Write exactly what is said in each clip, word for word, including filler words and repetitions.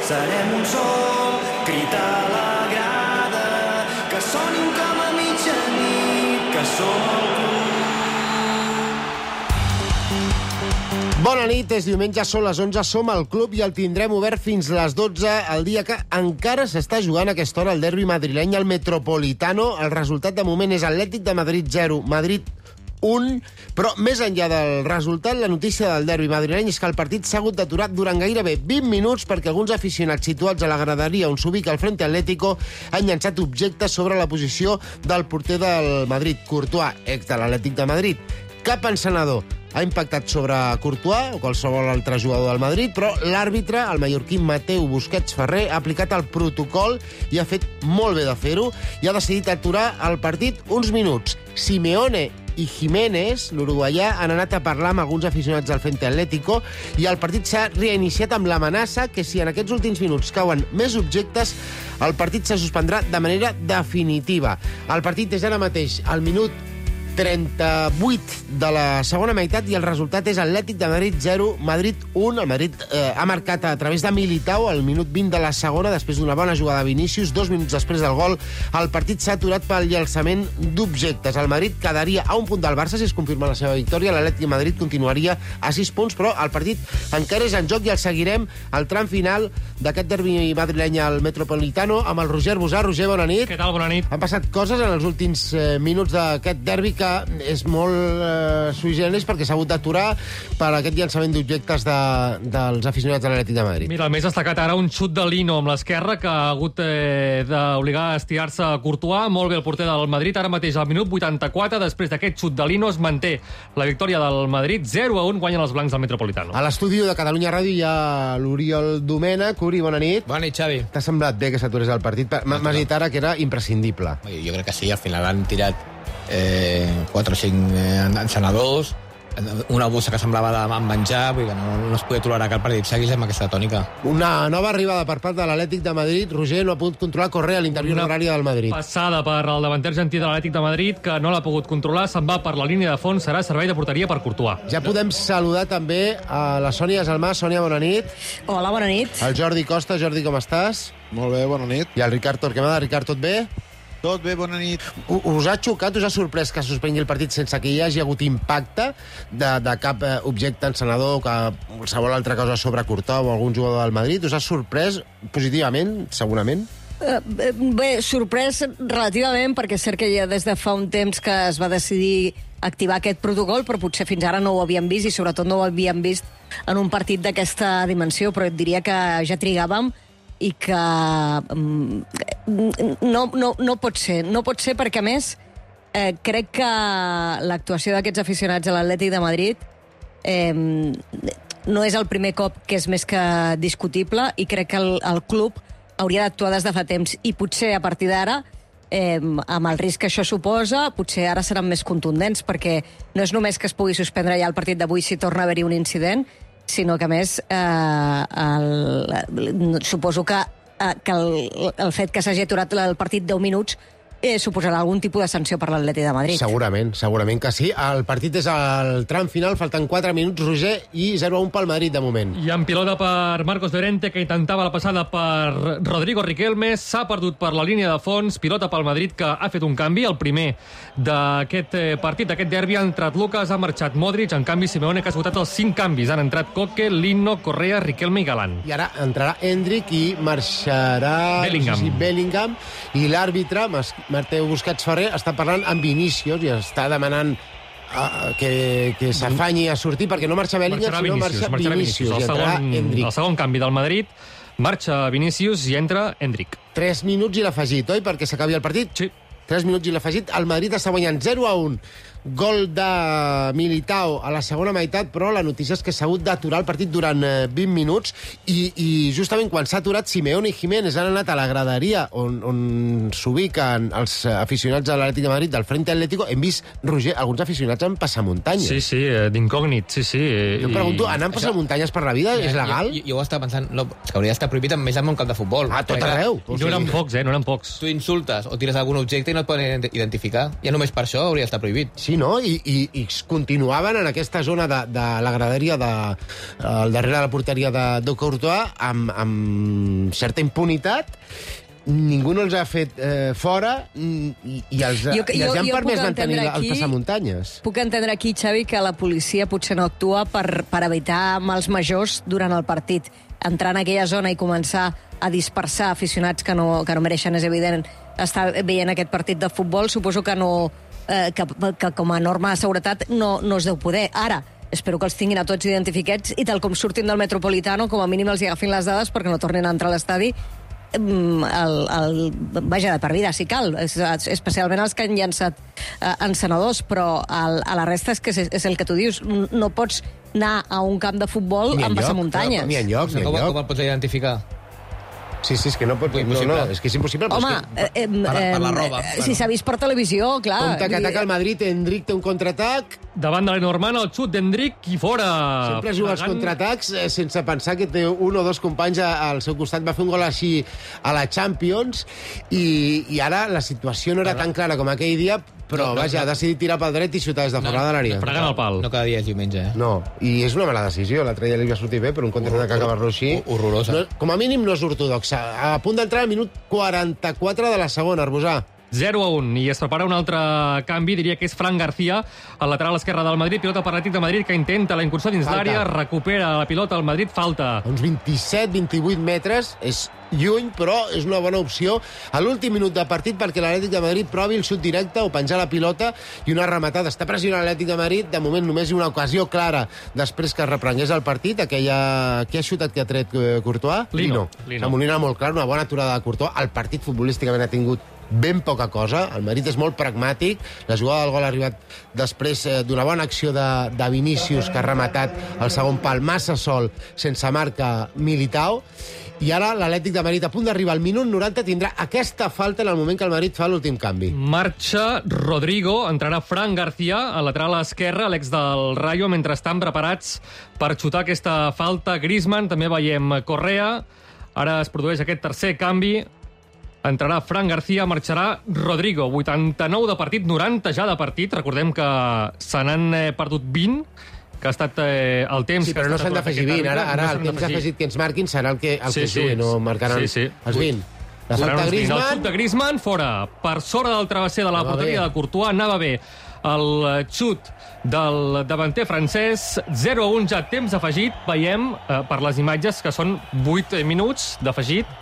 serem un sol, crit a la grada, que sonin com a mitjanit, que som el club. Bona nit, és diumenge, són les onze, som al club i el tindrem obert fins les dotze, el dia que encara s'està jugant a aquesta hora el derbi madrileny al Metropolitano. El resultat de moment és Atlètic de Madrid zero, Madrid un, però més enllà del resultat, la notícia del derbi madrileny és que el partit s'ha hagut d'aturar durant gairebé vint minuts perquè alguns aficionats situats a la graderia on s'ubica el Frente Atlético han llançat objectes sobre la posició del porter del Madrid, Courtois, ex de l'Atlètic de Madrid. Cap encenedor ha impactat sobre Courtois o qualsevol altre jugador del Madrid, però l'àrbitre, el mallorquí Mateu Busquets Ferrer, ha aplicat el protocol i ha fet molt bé de fer-ho i ha decidit aturar el partit uns minuts. Simeone i Jiménez, l'uruguaià, han anat a parlar amb alguns aficionats del Frente Atlético i el partit s'ha reiniciat amb l'amenaça que si en aquests últims minuts cauen més objectes, el partit se suspendrà de manera definitiva. El partit és ara mateix al minut trenta-vuit de la segona meitat i el resultat és Atlètic de Madrid zero, Madrid un. El Madrid eh, ha marcat a través de Militao al minut vint de la segona, després d'una bona jugada de Vinícius. Dos minuts després del gol, el partit s'ha aturat pel llançament d'objectes. El Madrid quedaria a un punt del Barça si es confirma la seva victòria. L'Atlètic de Madrid continuaria a sis punts, però el partit encara és en joc i el seguirem al tram final d'aquest derbi madrileny al Metropolitano amb el Roger Bosà. Roger, bona nit. Què tal? Bona nit. Han passat coses en els últims eh, minuts d'aquest derbi que és molt eh, sui generis perquè s'ha hagut d'aturar per aquest llançament d'objectes de, dels aficionats de l'Atlètic de Madrid. Mira, el més destacat ara un xut de Lino amb l'esquerra que ha hagut eh, d'obligar a estirar-se a Courtois. Molt bé el porter del Madrid. Ara mateix al minut vuitanta-quatre, després d'aquest xut de Lino, es manté la victòria del Madrid. zero a un guanyen els blancs del Metropolitano. A l'estudi de Catalunya Ràdio hi ha l'Oriol Domènech. Uri, bona nit. Bona nit, Xavi. T'ha semblat bé que s'aturés el partit? M'has dit ara que era imprescindible. Jo crec que sí, al final han tirat eh, quatre o cinc eh, encenedors, una bossa que semblava de menjar, vull dir que no, no es podia tolerar que el partit seguís amb aquesta tònica. Una nova arribada per part de l'Atlètic de Madrid. Roger no ha pogut controlar Correa a l'interior horari del Madrid. Passada per el davanter argentí de l'Atlètic de Madrid, que no l'ha pogut controlar, se'n va per la línia de fons, serà servei de porteria per Courtois. Ja podem saludar també a la Sònia Gelmà. Sònia, bona nit. Hola, bona nit. El Jordi Costa. Jordi, com estàs? Molt bé, bona nit. I el Ricard Torquemada. Ricard, tot bé? Tot bé, bona nit. Us ha xocat, us ha sorprès que se suspengui el partit sense que hi hagi hagut impacte de, de cap eh, objecte encenedor o que qualsevol altra cosa sobre Courtois o algun jugador del Madrid? Us ha sorprès positivament, segurament? Uh, bé, sorprès relativament, perquè és cert que ja des de fa un temps que es va decidir activar aquest protocol, però potser fins ara no ho havíem vist i sobretot no ho havíem vist en un partit d'aquesta dimensió, però et diria que ja trigàvem i que um, no, no, no pot ser. No pot ser perquè, a més, eh, crec que l'actuació d'aquests aficionats a l'Atlètic de Madrid eh, no és el primer cop que és més que discutible i crec que el, el club hauria d'actuar des de fa temps i potser a partir d'ara, eh, amb el risc que això suposa, potser ara seran més contundents perquè no és només que es pugui suspendre ja el partit d'avui si torna a haver-hi un incident, sinó que, a més, eh, el, suposo que, eh, que el, el fet que s'hagi aturat el partit deu minuts eh, suposarà algun tipus de sanció per l'Atlètic de Madrid. Segurament, segurament que sí. El partit és al tram final, falten quatre minuts, Roger, i zero a un pel Madrid de moment. I en pilota per Marcos Llorente, que intentava la passada per Rodrigo Riquelme, s'ha perdut per la línia de fons, pilota pel Madrid, que ha fet un canvi, el primer d'aquest partit, d'aquest derbi. Ha entrat Lucas, ha marxat Modric, en canvi Simeone, que ha esgotat els cinc canvis. Han entrat Coque, Lino, Correa, Riquelme i Galán. I ara entrarà Endrick i marxarà Bellingham. Sí, Bellingham, i l'àrbitre, Mateu Busquets Ferrer, està parlant amb Vinícius i està demanant uh, que, que s'afanyi a sortir perquè no marxa Bellingham, sinó marxa Vinícius. Vinícius. El, I entrarà segon, Endrick. el segon canvi del Madrid, marxa Vinícius i entra Endrick. Tres minuts i l'afegit, oi? Perquè s'acabi el partit? Sí. Tres minuts i l'afegit. El Madrid està guanyant zero a un. Gol de Militao a la segona meitat, però la notícia és que s'ha hagut d'aturar el partit durant vint minuts i, i justament quan s'ha aturat, Simeone i Jiménez han anat a la graderia on, on s'ubiquen els aficionats de l'Atlètic de Madrid del Frente Atlético. Hem vist, Roger, alguns aficionats en passamuntanyes. Sí, sí, d'incògnit, sí, sí. Jo em pregunto, anar en passamuntanyes per la vida és legal? Jo, jo, jo ho estava pensant, no, és que hauria d'estar prohibit més en un camp de futbol. Ah, tot arreu. I no eren pocs, eh, no eren pocs. Tu insultes o tires algun objecte i no et poden identificar. Ja només per això hauria d'estar prohibit. Sí, sí, no? I, i, i continuaven en aquesta zona de, de la graderia de, al darrere de la porteria de, de Courtois amb, amb certa impunitat. Ningú no els ha fet eh, fora i, i els, Jo- i els jo- han jo permès puc mantenir entendre el aquí- passamuntanyes. Puc entendre aquí, Xavi, que la policia potser no actua per, per evitar mals majors durant el partit. Entrar en aquella zona i començar a dispersar aficionats que no, que no mereixen, és evident, estar veient aquest partit de futbol, suposo que no... Eh, que, que com a norma de seguretat no, no es deu poder. Ara, espero que els tinguin a tots identificats i tal com surtin del Metropolitano, com a mínim els hi agafin les dades perquè no tornin a entrar a l'estadi mm, el, el, vaja, de per vida, si cal, es- especialment els que han llançat eh, encenedors, però el, a la resta és que és, és el que tu dius, no pots anar a un camp de futbol Ni amb enlloc, passamuntanyes. Ni enlloc, ni Com, com enlloc. el pots identificar? Sí, sí, és que no pot... No, Impossible. no, és que és impossible. però Home, és que... eh, eh, per- per la eh, roba, eh, bueno. si s'ha vist per televisió, clar... Compte que vull dir, ataca el Madrid, Endrick té un contraatac, Davant de l'Enormand, el xut d'Endrick i fora. sempre juga als Fregant- contraatacs eh, sense pensar que té un o dos companys a- al seu costat. Va fer un gol així a la Champions i, i ara la situació no era tan clara com aquell dia, però No, no, vaja, no. ha decidit tirar pel dret i xutar des de fora de l'àrea. Fregant el pal. No cada dia és diumenge, eh? No, i és una mala decisió. L'altre dia li va sortir bé, però un contraatac acabar-lo així... Horrorosa. No, com a mínim no és ortodoxa. A punt d'entrar al minut quaranta-quatre de la segona, Arbusà. zero a un, i es prepara un altre canvi, diria que és Fran García, al lateral esquerre del Madrid, pilota per l'Atlètic de Madrid, que intenta la incursió dins Falta. l'àrea, recupera la pilota al Madrid, falta. A uns vint-i-set vint-i-vuit metres, és lluny, però és una bona opció a l'últim minut de partit perquè l'Atlètic de Madrid provi el xut directe o penjar la pilota i una rematada. Està pressionant l'Atlètic de Madrid, de moment només hi ha una ocasió clara després que es reprengués el partit, aquella... Qui ha xutat que ha tret eh, Courtois? Lino. Lino. La Molina molt clar, una bona aturada de Courtois. El partit futbolísticament ha tingut ben poca cosa. El Madrid és molt pragmàtic. La jugada del gol ha arribat després eh, d'una bona acció de, de Vinícius, que ha rematat el segon pal massa sol, sense marca Militao. I ara l'Atlètic de Madrid, a punt d'arribar al minut noranta, tindrà aquesta falta en el moment que el Madrid fa l'últim canvi. Marxa Rodrigo, entrarà Fran García, al lateral esquerre, l'ex del Rayo, mentre estan preparats per xutar aquesta falta. Griezmann, també veiem Correa. Ara es produeix aquest tercer canvi. Entrarà Fran García, marxarà Rodrigo. vuitanta-nou de partit, noranta ja de partit. Recordem que se n'han eh, perdut vint, que ha estat eh, el temps... Sí, que però ha no estat s'han aturat d'afegir aquest vint. Ara, àrbitre, ara no el s'han temps d'afegir. afegit que ens marquin serà el que, el Sí, que sí. jugui, no marcaran Sí, sí. els vint. La Seran falta uns vint. El Griezmann... xut de Griezmann, fora. Per sobre del travesser de la Anava porteria bé. de Courtois, anava bé. El eh, xut del davanter francès, zero a un ja temps afegit. Veiem eh, per les imatges que són vuit minuts d'afegit.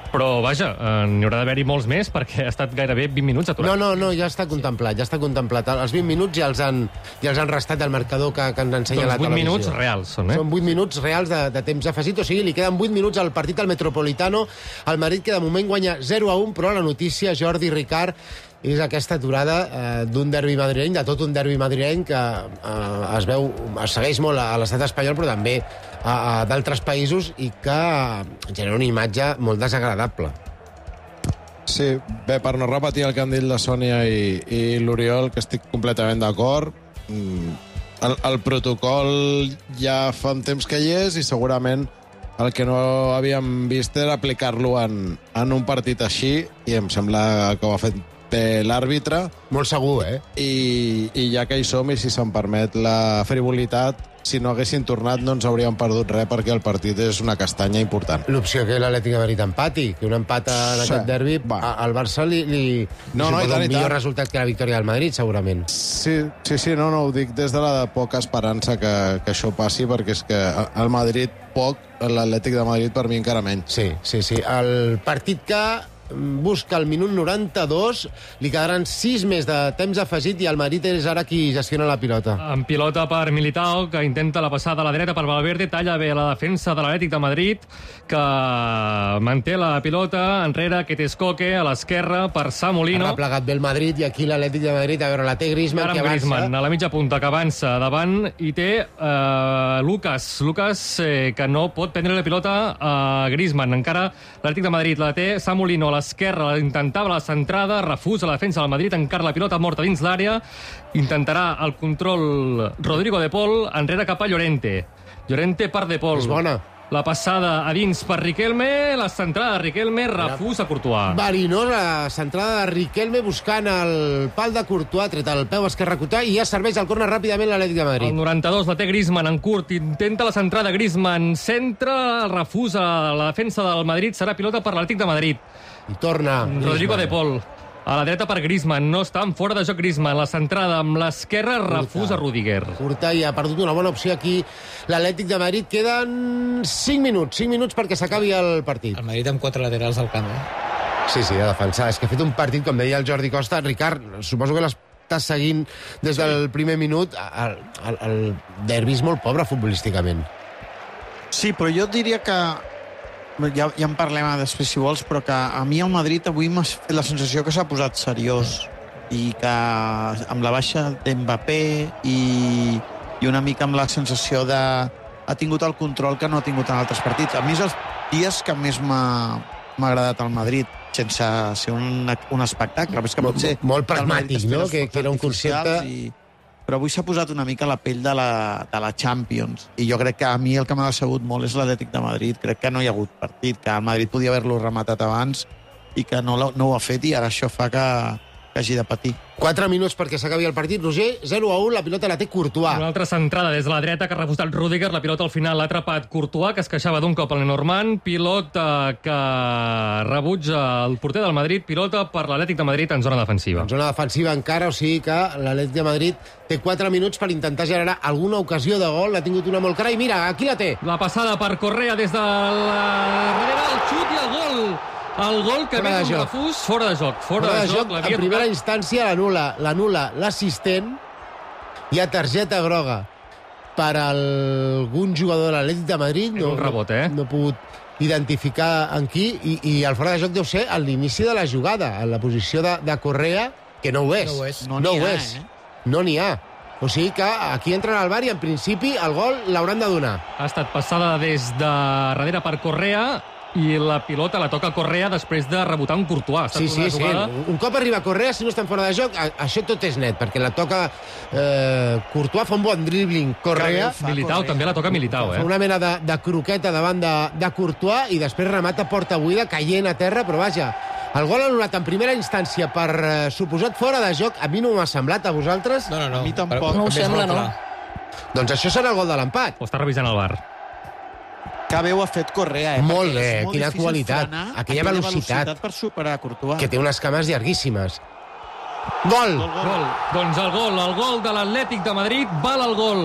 Però, vaja, eh, n'hi haurà d'haver-hi molts més perquè ha estat gairebé vint minuts aturat. No, no, no, ja està contemplat, ja està contemplat. Els vint minuts ja els han, ja els han restat del marcador que, que ens ensenya doncs la vuit televisió. minuts reals són, eh? Són vuit minuts reals de, de temps afegit, o sigui, li queden vuit minuts al partit al Metropolitano. El Madrid, que de moment guanya zero a un, però la notícia, Jordi Ricard, és aquesta aturada eh, d'un derbi madrileny, de tot un derbi madrileny que eh, es veu, es segueix molt a, a l'estat espanyol, però també a, a d'altres països i que genera una imatge molt desagradable. Sí, bé, per no repetir el que han dit la Sònia i, i l'Oriol, que estic completament d'acord, mm, el, el protocol ja fa un temps que hi és i segurament el que no havíem vist era aplicar-lo en, en un partit així, i em sembla que ho ha fet bé l'àrbitre, Molt segur, eh? i, i ja que hi som, i si se'm permet la frivolitat, si no haguessin tornat no ens hauríem perdut res perquè el partit és una castanya important. L'opció que l'Atlètic de Madrid empati, que un empat en Sí, aquest derbi, va. a- al Barça li, li, No, li no, i suposa tant, un i millor tant. resultat que la victòria del Madrid, segurament. Sí, sí, sí, no, no, ho dic des de la de poca esperança que, que això passi, perquè és que el Madrid poc, l'Atlètic de Madrid per mi encara menys. Sí, sí, sí. El partit que busca el minut noranta-dos, li quedaran sis més de temps afegit i el Madrid és ara qui gestiona la pilota. En pilota per Militao, que intenta la passada a la dreta per Valverde, talla bé la defensa de l'Atlètic de Madrid, que manté la pilota enrere, que té Escoque a l'esquerra per Samolino. Ha plegat bé el Madrid i aquí l'Atlètic de Madrid, a veure, la té Griezmann, Ara que amb avança. Griezmann, a la mitja punta, que avança davant, i té eh, Lucas. Lucas, eh, que no pot prendre la pilota a Griezmann. Encara l'Atlètic de Madrid la té Samolino a l'esquerra, intentava la centrada, refusa la defensa del Madrid, encara la pilota morta dins l'àrea, intentarà el control Rodrigo de Paul, enrere cap a Llorente. Llorente per de Paul. És bona. La passada a dins per Riquelme, la centrada de Riquelme, refús a Courtois. Verinosa centrada de Riquelme buscant el pal de Courtois, tret el peu esquerre Courtois, i ja serveix el córner ràpidament l'Atlètic de Madrid. El noranta-dos la té Griezmann en curt, intenta la centrada Griezmann, centra, el refús a la defensa del Madrid, serà pilota per l'Atlètic de Madrid. I torna Rodrigo Griezmann. de Paul. A la dreta per Griezmann, no està en fora de joc Griezmann. La centrada amb l'esquerra, refús a Rudiger. Courtois ha perdut una bona opció aquí l'Atlètic de Madrid. Queden cinc minuts, cinc minuts perquè s'acabi el partit. El Madrid amb quatre laterals al camp, eh? Sí, sí, a defensar. És que ha fet un partit, com deia el Jordi Costa. Ricard, suposo que l'estàs seguint des del primer minut. El, el, el derbi és molt pobre futbolísticament. Sí, però jo diria que ja, ja en parlem després si vols, però que a mi el Madrid avui m'ha fet la sensació que s'ha posat seriós i que amb la baixa d'Mbappé i, i una mica amb la sensació de ha tingut el control que no ha tingut en altres partits. A mi és els dies que més m'ha agradat al Madrid, sense ser un, un espectacle. És que Molt, potser molt pragmàtic, no? Que, que era un concepte... I, però avui s'ha posat una mica la pell de la, de la Champions, i jo crec que a mi el que m'ha decebut molt és l'Atlètic de Madrid. Crec que no hi ha hagut partit, que el Madrid podia haver-lo rematat abans i que no, no ho ha fet, i ara això fa que, que hagi de patir. quatre minuts perquè s'acabi el partit. Roger, zero a u, la pilota la té Courtois. Una altra centrada des de la dreta que ha refusat Rudiger. La pilota al final l'ha atrapat Courtois, que es queixava d'un cop al Lenormand. Pilota que rebutja el porter del Madrid. Pilota per l'Atlètic de Madrid en zona defensiva. En zona defensiva encara, o sigui que l'Atlètic de Madrid té quatre minuts per intentar generar alguna ocasió de gol. L'ha tingut una molt clara i mira, aquí la té. La passada per Correa des de la darrere, el xut i el gol. El gol que Fora ve de d'un joc. refús, fora de joc. Fora, Fora de joc, l'havia en primera tocat. instància l'anula l'anula l'assistent. Hi ha targeta groga per algun jugador de l'Atlètic de Madrid. És un rebot, eh? No, no he pogut identificar en qui, i, i el fora de joc deu ser a l'inici de la jugada, en la posició de, de Correa, que no ho és. No ho és. No no n'hi ho ha, és. eh? No n'hi ha. O sigui que aquí entren al bar i en principi el gol l'hauran de donar. Ha estat passada des de darrere per Correa i la pilota la toca Correa després de rebotar un Courtois. Ha estat Sí, sí, una sí. jugada... Un cop arriba Correa, si no estan fora de joc, a, això tot és net, perquè la toca eh, Courtois, fa un bon dribbling Correa, Fa Militao Correa. també la toca Militao, fa eh? una mena de, de croqueta davant de, de Courtois i després remata porta buida, caient a terra, però vaja, el gol anul·lat en primera instància per eh, suposat fora de joc, a mi no m'ha semblat, a vosaltres? No, no, no. A mi tampoc. Per- No ho també és sembla, molt no. clar. Doncs això serà el gol de l'empat. Ho està revisant el bar. Que bé ho ha fet Correa, eh? Molt Perquè bé, és molt quina difícil qualitat. frenar Aquella velocitat. per superar Courtois. Que té unes cames llarguíssimes. Gol! Gol, gol. Gol. Doncs el gol, el gol de l'Atlètic de Madrid, val el gol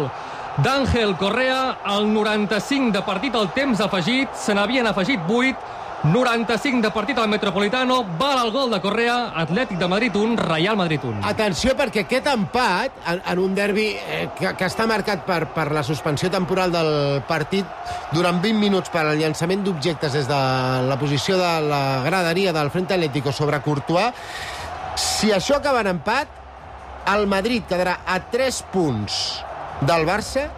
d'Àngel Correa, al noranta-cinc de partit al temps afegit, se n'havien afegit vuit, noranta-cinc de partit al Metropolitano, val el gol de Correa, Atlètic de Madrid un, Real Madrid un. Atenció, perquè aquest empat, en, en un derbi eh, que, que està marcat per, per la suspensió temporal del partit durant vint minuts per al llançament d'objectes des de la posició de la graderia del Frente Atlético sobre Courtois, si això acaba en empat, el Madrid quedarà a tres punts del Barça,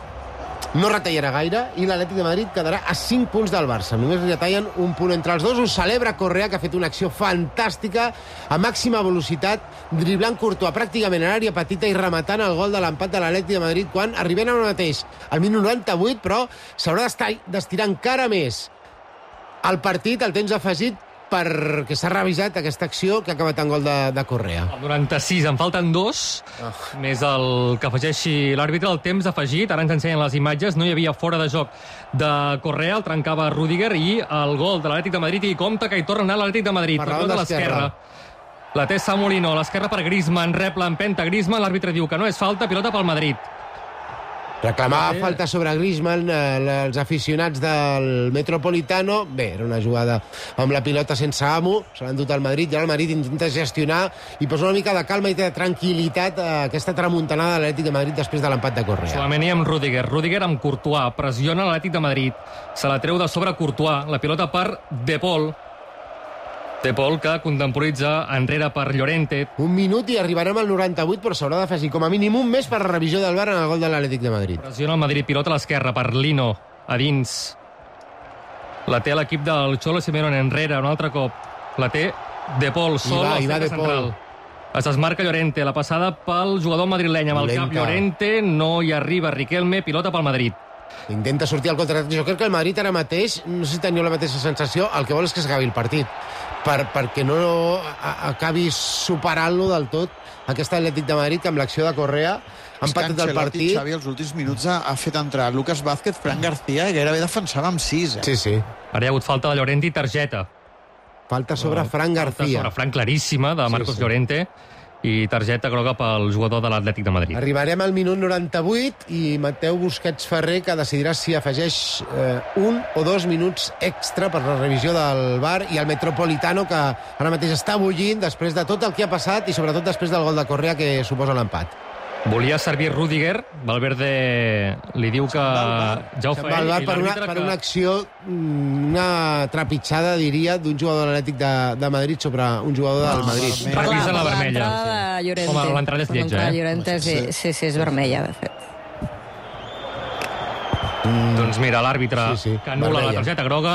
no retallarà gaire, i l'Atlètic de Madrid quedarà a cinc punts del Barça. Només retallen un punt entre els dos. Ho celebra Correa, que ha fet una acció fantàstica a màxima velocitat, driblant Courtois pràcticament a l'àrea petita i rematant el gol de l'empat de l'Atlètic de Madrid quan arribem ara mateix al minut noranta-vuit, però s'haurà d'estirar encara més el partit, el temps afegit, perquè s'ha revisat aquesta acció que ha acabat en gol de, de Correa. El noranta-sis, en falten dos, Oh. més el que afegeixi l'àrbitre, el temps afegit, ara ens ensenyen les imatges, no hi havia fora de joc de Correa, el trencava Rudiger, i el gol de l'Atlètic de Madrid, i compta que hi torna a anar l'Atlètic de Madrid, Per per la banda de l'esquerra. La té Samolino, l'esquerra per Griezmann, rep l'empenta Griezmann, l'àrbitre diu que no és falta, pilota pel Madrid. Reclamava Sí. falta sobre Griezmann, eh, els aficionats del Metropolitano. Bé, era una jugada amb la pilota sense amo, se l'ha endut al Madrid, i ara el Madrid intenta gestionar i posa una mica de calma i de tranquil·litat a aquesta tramuntanada de l'Atlètic de Madrid després de l'empat de Correa. Solament amb Rudiger. Rudiger amb Courtois. Pressiona l'Atlètic de Madrid. Se la treu de sobre Courtois. La pilota per De Paul. De Paul que contemporitza enrere per Llorente. Un minut i arribarem al noranta-vuit, però s'haurà d'afegir com a mínim un mes per la revisió del V A R en el gol de l'Atlètic de Madrid. Pressiona el Madrid. Pilota a l'esquerra per Lino. A dins. La té l'equip del Cholo Simeone enrere. Un altre cop. La té De Paul. Sol va, al hi va centre De Paul. central. Es desmarca Llorente. La passada pel jugador madrileny amb el cap Dolenta. Llorente. No hi arriba Riquelme. Pilota pel Madrid. Intenta sortir al contraatac. Jo crec que el Madrid ara mateix, no sé si teniu la mateixa sensació, el que vol és que s'acabi el partit, per, perquè no a, acabi superant-lo del tot aquest Atlètic de Madrid, que amb l'acció de Correa ha empatat el partit. Xavi, els últims minuts ha, ha fet entrar Lucas Vázquez, Fran García, i gairebé defensava amb sis. Eh? Sí, sí. Ara hi ha hagut falta de Llorente i targeta. Falta sobre Fran García. Falta sobre Fran claríssima de Marcos Sí, sí. Llorente i targeta groga pel jugador de l'Atlètic de Madrid. Arribarem al minut noranta-vuit i Mateu Busquets Ferrer, que decidirà si afegeix eh, un o dos minuts extra per la revisió del V A R, i el Metropolitano, que ara mateix està bullint després de tot el que ha passat i sobretot després del gol de Correa que suposa l'empat. Volia servir Rüdiger, Valverde li diu que ja ho Se'n fa va al ell, V A R i per, una, l'àrbitre per que- una acció, mm, una trepitjada, diria, d'un jugador de l'Atlètic de, de Madrid sobre un jugador del Madrid. vermell. Revisa la vermella. L'entrada de Llorente. Home, l'entrada és Per lletja, l'entrada de eh? Llorente, sí, sí, sí, és vermella, de fet. Doncs mira, l'àrbitre Sí, sí, que anul·la vermella. la targeta groga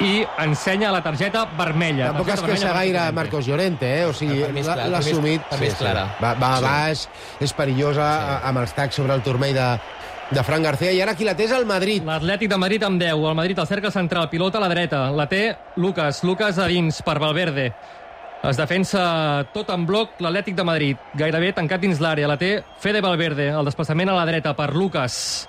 i ensenya la targeta vermella. Tampoc es Targeta queixa vermella gaire per Marcos Llorente, eh? O sigui, Per mi és l'ha clar, l'ha per mi és- assumit. per mi és clara. Va, va a baix, és perillosa, amb els tacs sobre el turmell de, de Fran García, i ara qui la té és el Madrid. L'Atlètic de Madrid amb deu. El Madrid al cercle central, pilota a la dreta. La té Lucas. Lucas a dins per Valverde. Es defensa tot en bloc l'Atlètic de Madrid. Gairebé tancat dins l'àrea. La té Fede Valverde. El desplaçament a la dreta per Lucas.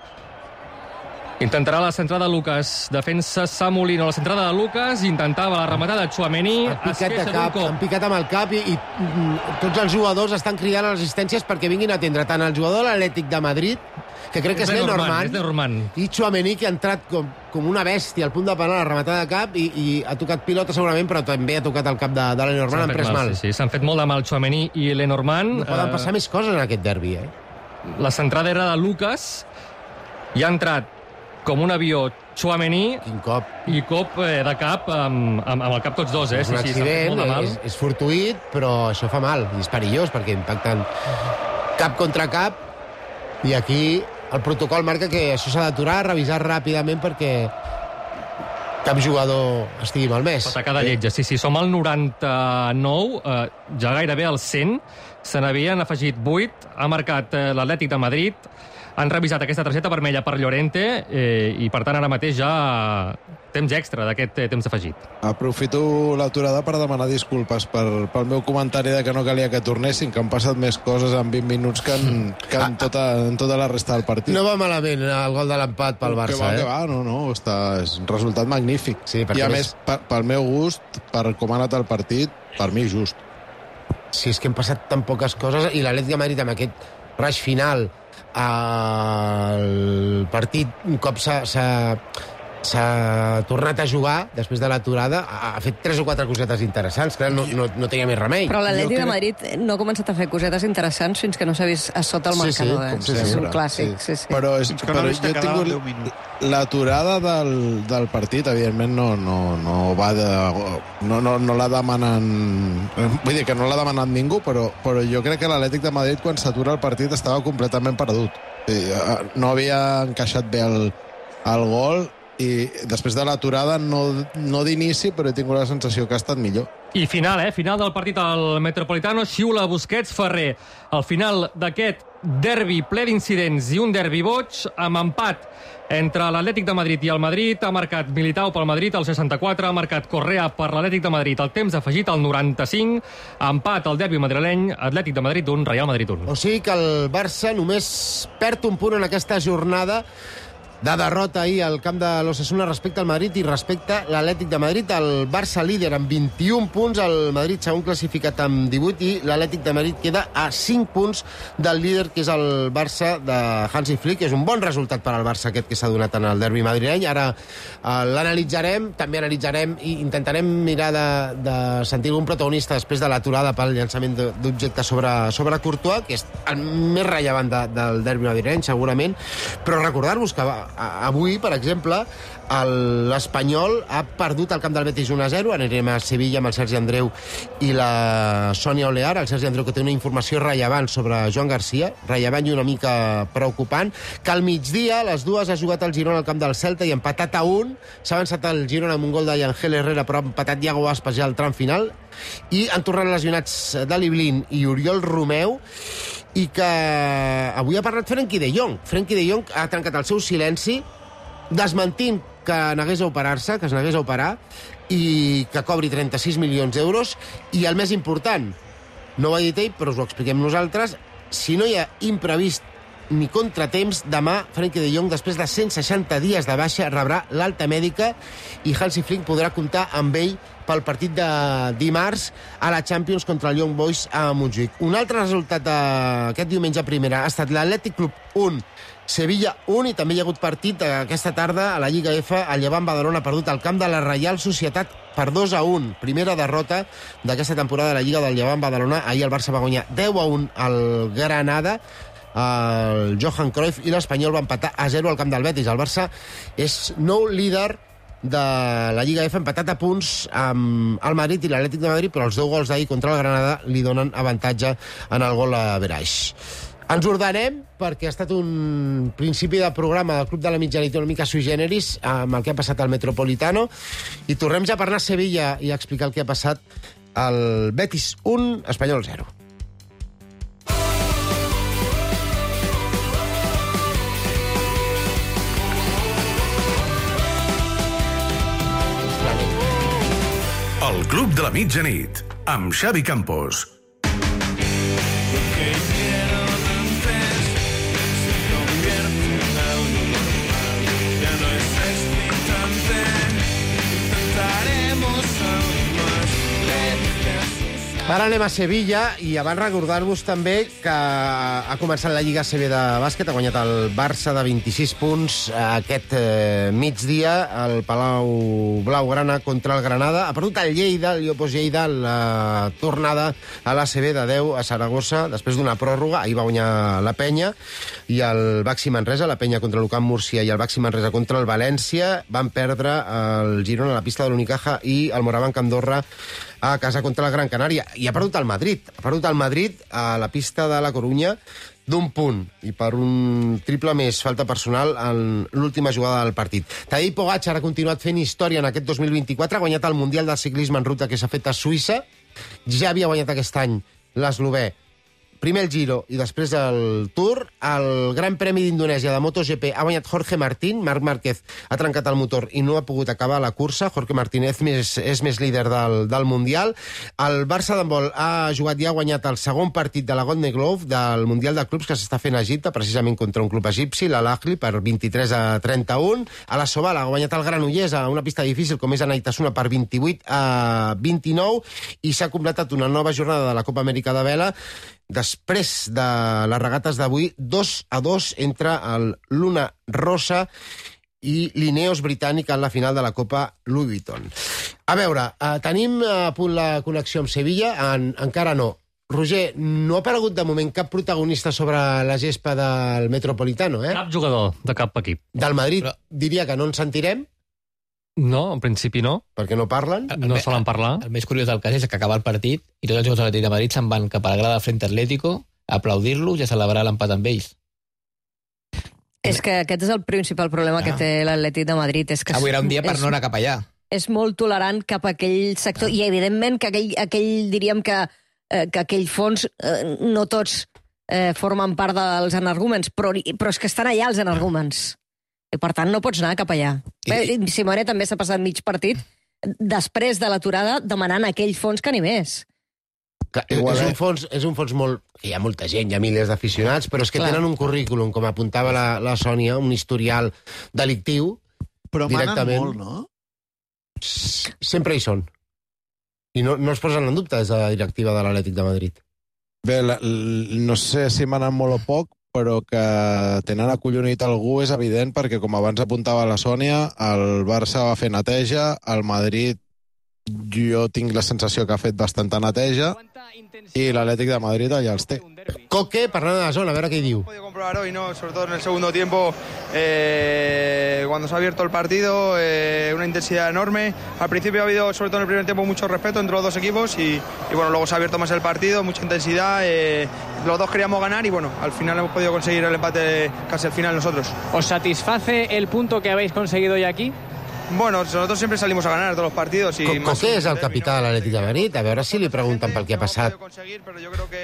Intentarà la centrada de Lucas. Defensa Samolino. La centrada de Lucas. Intentava la rematada de Tchouaméni. Han Es picat de queixa d'un cap, cop. han picat amb el cap i, i mm, tots els jugadors estan cridant a les assistències perquè vinguin a atendre tant el jugador de l'Atlètic de Madrid, que crec que és, És Lenormand, Lenormand, és Lenormand. i Tchouaméni, que ha entrat com, com una bèstia al punt de penal a la rematada de cap i, i ha tocat pilota segurament, però també ha tocat el cap de, de Lenormand, S'han han fet pres mal. Sí, sí, s'han fet molt de mal Tchouaméni i Lenormand. No poden Eh, passar més coses en aquest derbi, eh? La centrada era de Lucas i ha entrat com un avió Tchouaméni Quin cop. i cop eh, de cap amb, amb, amb el cap tots dos, eh? És Sí, un sí, s'ha fet accident, molt de mal. és, és fortuït, però això fa mal, i és perillós, perquè impacten cap contra cap, i aquí el protocol marca que això s'ha d'aturar, revisar ràpidament perquè cap jugador estigui malmès. Pot cada lletja, sí, sí. Som al noranta-nou, eh, ja gairebé al cent. Se n'havien afegit vuit. Ha marcat eh, l'Atlètic de Madrid. Han revisat aquesta targeta vermella per Llorente eh, i, per tant, ara mateix ja temps extra d'aquest eh, temps afegit. Aprofito l'aturada per demanar disculpes per, pel meu comentari de que no calia que tornessin, que han passat més coses en vint minuts que en, que en, tota, en tota la resta del partit. No va malament el gol de l'empat pel Que Barça, va, que eh? va, no, no, està, és un resultat magnífic. Sí, perquè I a més- més, per, pel meu gust, per com ha anat el partit, per mi just. Sí, és que han passat tan poques coses, i l'Atlètic de Madrid amb aquest rush final el partit, un cop s'ha s'ha- s'ha tornat a jugar després de l'aturada, ha ha fet tres o quatre cosetes interessants, clar, no, no, no tenia més remei. Però l'Atlètic Jo de crec- Madrid no ha començat a fer cosetes interessants fins que no s'ha vist a sota el Sí, sí, marcador. com eh? sempre. És un clàssic, sí, sí. Però, és, Fins que no però vist jo he que quedava deu tingut minuts. l'aturada del, del partit, evidentment no, no, no va de... No, no, no la demanen... Vull dir que no l'ha demanat ningú, però, però jo crec que l'Atlètic de Madrid, quan s'atura el partit, estava completament perdut. Eh, No havia encaixat bé el, el gol, i després de l'aturada, no, no d'inici, però he tingut la sensació que ha estat millor. I final, eh? Final del partit al Metropolitano, xiula Busquets Ferrer. Al final d'aquest derbi ple d'incidents i un derbi boig, amb empat entre l'Atlètic de Madrid i el Madrid. Ha marcat Militao pel Madrid al seixanta-quatre, ha marcat Correa per l'Atlètic de Madrid al temps afegit al noranta-cinc, empat al derbi madrileny, Atlètic de Madrid un, Real Madrid un. O sigui que el Barça només perd un punt en aquesta jornada de derrota ahir al camp de l'Osasuna respecte al Madrid i respecte a l'Atlètic de Madrid. El Barça líder amb vint-i-un punts, el Madrid segon classificat amb divuit i l'Atlètic de Madrid queda a cinc punts del líder, que és el Barça de Hansi Flick. És un bon resultat per al Barça aquest que s'ha donat en el derbi madrileny. Ara eh, l'analitzarem, també analitzarem i intentarem mirar de, de sentir algun protagonista després de l'aturada pel llançament d'objectes sobre, sobre Courtois, que és el més rellevant de, del derbi madrileny, segurament. Però recordar-vos que va, avui, per exemple, l'Espanyol ha perdut al camp del Betis un a zero. Anirem a Sevilla amb el Sergi Andreu i la Sònia Olear. El Sergi Andreu, que té una informació rellevant sobre Joan Garcia, rellevant i una mica preocupant, que al migdia, a les dues, ha jugat el Girona al camp del Celta i empatat a un. S'ha avançat el Girona amb un gol de Yangel Herrera, però ha empatat Iago Aspas ja al tram final. I han tornat lesionats Dali Blin i Oriol Romeu. i que avui ha parlat Frenkie de Jong. Frenkie de Jong ha trencat el seu silenci desmentint que n'hagués a operar-se, que es n'hagués a operar, i que cobri trenta-sis milions d'euros. I el més important, no ho ha dit ell, però us ho expliquem nosaltres, si no hi ha imprevist ni contratemps, demà Frenkie de Jong, després de cent seixanta dies de baixa, rebrà l'alta mèdica i Hansi Flick podrà comptar amb ell pel partit de dimarts a la Champions contra el Young Boys a Montjuïc. Un altre resultat d'aquest diumenge a primera ha estat l'Atlètic Club un, Sevilla un, i també hi ha hagut partit aquesta tarda a la Lliga F. El Llevant Badalona ha perdut al camp de la Reial Societat per dos a un. Primera derrota d'aquesta temporada de la Lliga del Llevant Badalona. Ahir el Barça va guanyar deu a un al Granada. El Johan Cruyff i l'Espanyol va empatar a zero al camp del Betis. El Barça és nou líder de la Lliga F, empatat a punts amb el Madrid i l'Atlètic de Madrid, però els deu gols d'ahir contra el Granada li donen avantatge en el gol a Beraix. Ens ordenem perquè ha estat un principi de programa del Club de la Mitjanit una mica sui generis amb el que ha passat al Metropolitano, i tornem ja per anar a Sevilla i a explicar el que ha passat al Betis un, Espanyol zero. El Club de la Mitjanit, amb Xavi Campos. Ara anem a Sevilla i abans recordar-vos també que ha començat la Lliga A C B de bàsquet, ha guanyat el Barça de vint-i-sis punts aquest eh, migdia al Palau Blaugrana contra el Granada. Ha perdut el Lleida, el Llopos Lleida, la tornada a l'A C B de deu a Saragossa després d'una pròrroga. Ahir va guanyar la Penya i el Baxi Manresa, la Penya contra l'U C A M Múrcia i el Baxi Manresa contra el València. Van perdre el Girona a la pista de l'Unicaja i el Morabanc Andorra a casa contra la Gran Canària. I ha perdut el Madrid. Ha perdut el Madrid a la pista de la Corunya d'un punt i per un triple més falta personal en l'última jugada del partit. Tadej Pogačar ha continuat fent història en aquest dos mil vint-i-quatre, ha guanyat el Mundial de Ciclisme en ruta que s'ha fet a Suïssa, ja havia guanyat aquest any l'eslovè, primer el Giro i després el Tour. El Gran Premi d'Indonèsia de MotoGP ha guanyat Jorge Martín. Marc Márquez ha trencat el motor i no ha pogut acabar la cursa. Jorge Martín és més, és més líder del, del Mundial. El Barça d'handbol ha jugat i ha guanyat el segon partit de la Golden Glove del Mundial de Clubs que s'està fent a Egipte, precisament contra un club egipci, l'Al-Ahly, per vint-i-tres a trenta-un. A la Sobal ha guanyat el Granollers a una pista difícil com és Anaitasuna per vint-i-vuit a vint-i-nou, i s'ha completat una nova jornada de la Copa Amèrica de Vela després de les regates d'avui, dos a dos entre el Luna Rossa i l'Ineos britànica en la final de la Copa Louis Vuitton. A veure, eh, tenim a punt la connexió amb Sevilla? En, encara no. Roger, no ha aparegut de moment cap protagonista sobre la gespa del Metropolitano, eh? Cap jugador de cap equip. Del Madrid Però... diria que no en sentirem, No, en principi no. perquè no parlen. No solen parlar. El més curiós del cas és que acaba el partit i tots els jugadors de l'Atlètic de Madrid se'n van cap a la grada del Frente Atlético a aplaudir-los i a celebrar l'empat amb ells. És que aquest és el principal problema ah. que té l'Atlètic de Madrid. És que Avui era un dia per és, no anar cap allà. És molt tolerant cap a aquell sector, ah. i evidentment que aquell, aquell diríem que, eh, que aquell fons eh, no tots eh, formen part dels energúmens, però, però és que estan allà els energúmens. I per tant no pots anar cap allà. I... Bé, Simone també s'ha passat mig partit després de l'aturada demanant aquell fons que ni més. Que és, un fons, és un fons molt... Hi ha molta gent, hi ha milers d'aficionats, però és que Clar. tenen un currículum, com apuntava la, la Sònia, un historial delictiu. Però manen directament. molt, no? Sempre hi són. I no, no es posen en dubte des de la directiva de l'Atlètic de Madrid. Bé, la, l, no sé si manen molt o poc, però que tenen acollonit algú és evident, perquè, com abans apuntava la Sònia, el Barça va fer neteja, el Madrid jo tinc la sensació que ha fet bastanta neteja, i l'Atlètic de Madrid allà els té. Coque, parlant de la zona, a veure què hi diu. Podido comprobar hoy, ¿no? Sobre todo en el segundo tiempo, eh, cuando se ha abierto el partido, eh, una intensidad enorme. Al principio ha habido, sobre todo en el primer tiempo, mucho respeto entre los dos equipos y, y bueno, luego se ha abierto más el partido, mucha intensidad. Eh, los dos queríamos ganar y bueno, al final hemos podido conseguir el empate casi al final nosotros. ¿Os satisface el punto que habéis conseguido hoy aquí? Bueno, nosotros siempre salimos a ganar todos los partidos. Y Co Coque és el capità de l'Atlètic de Madrid. A veure si li pregunten pel que ha passat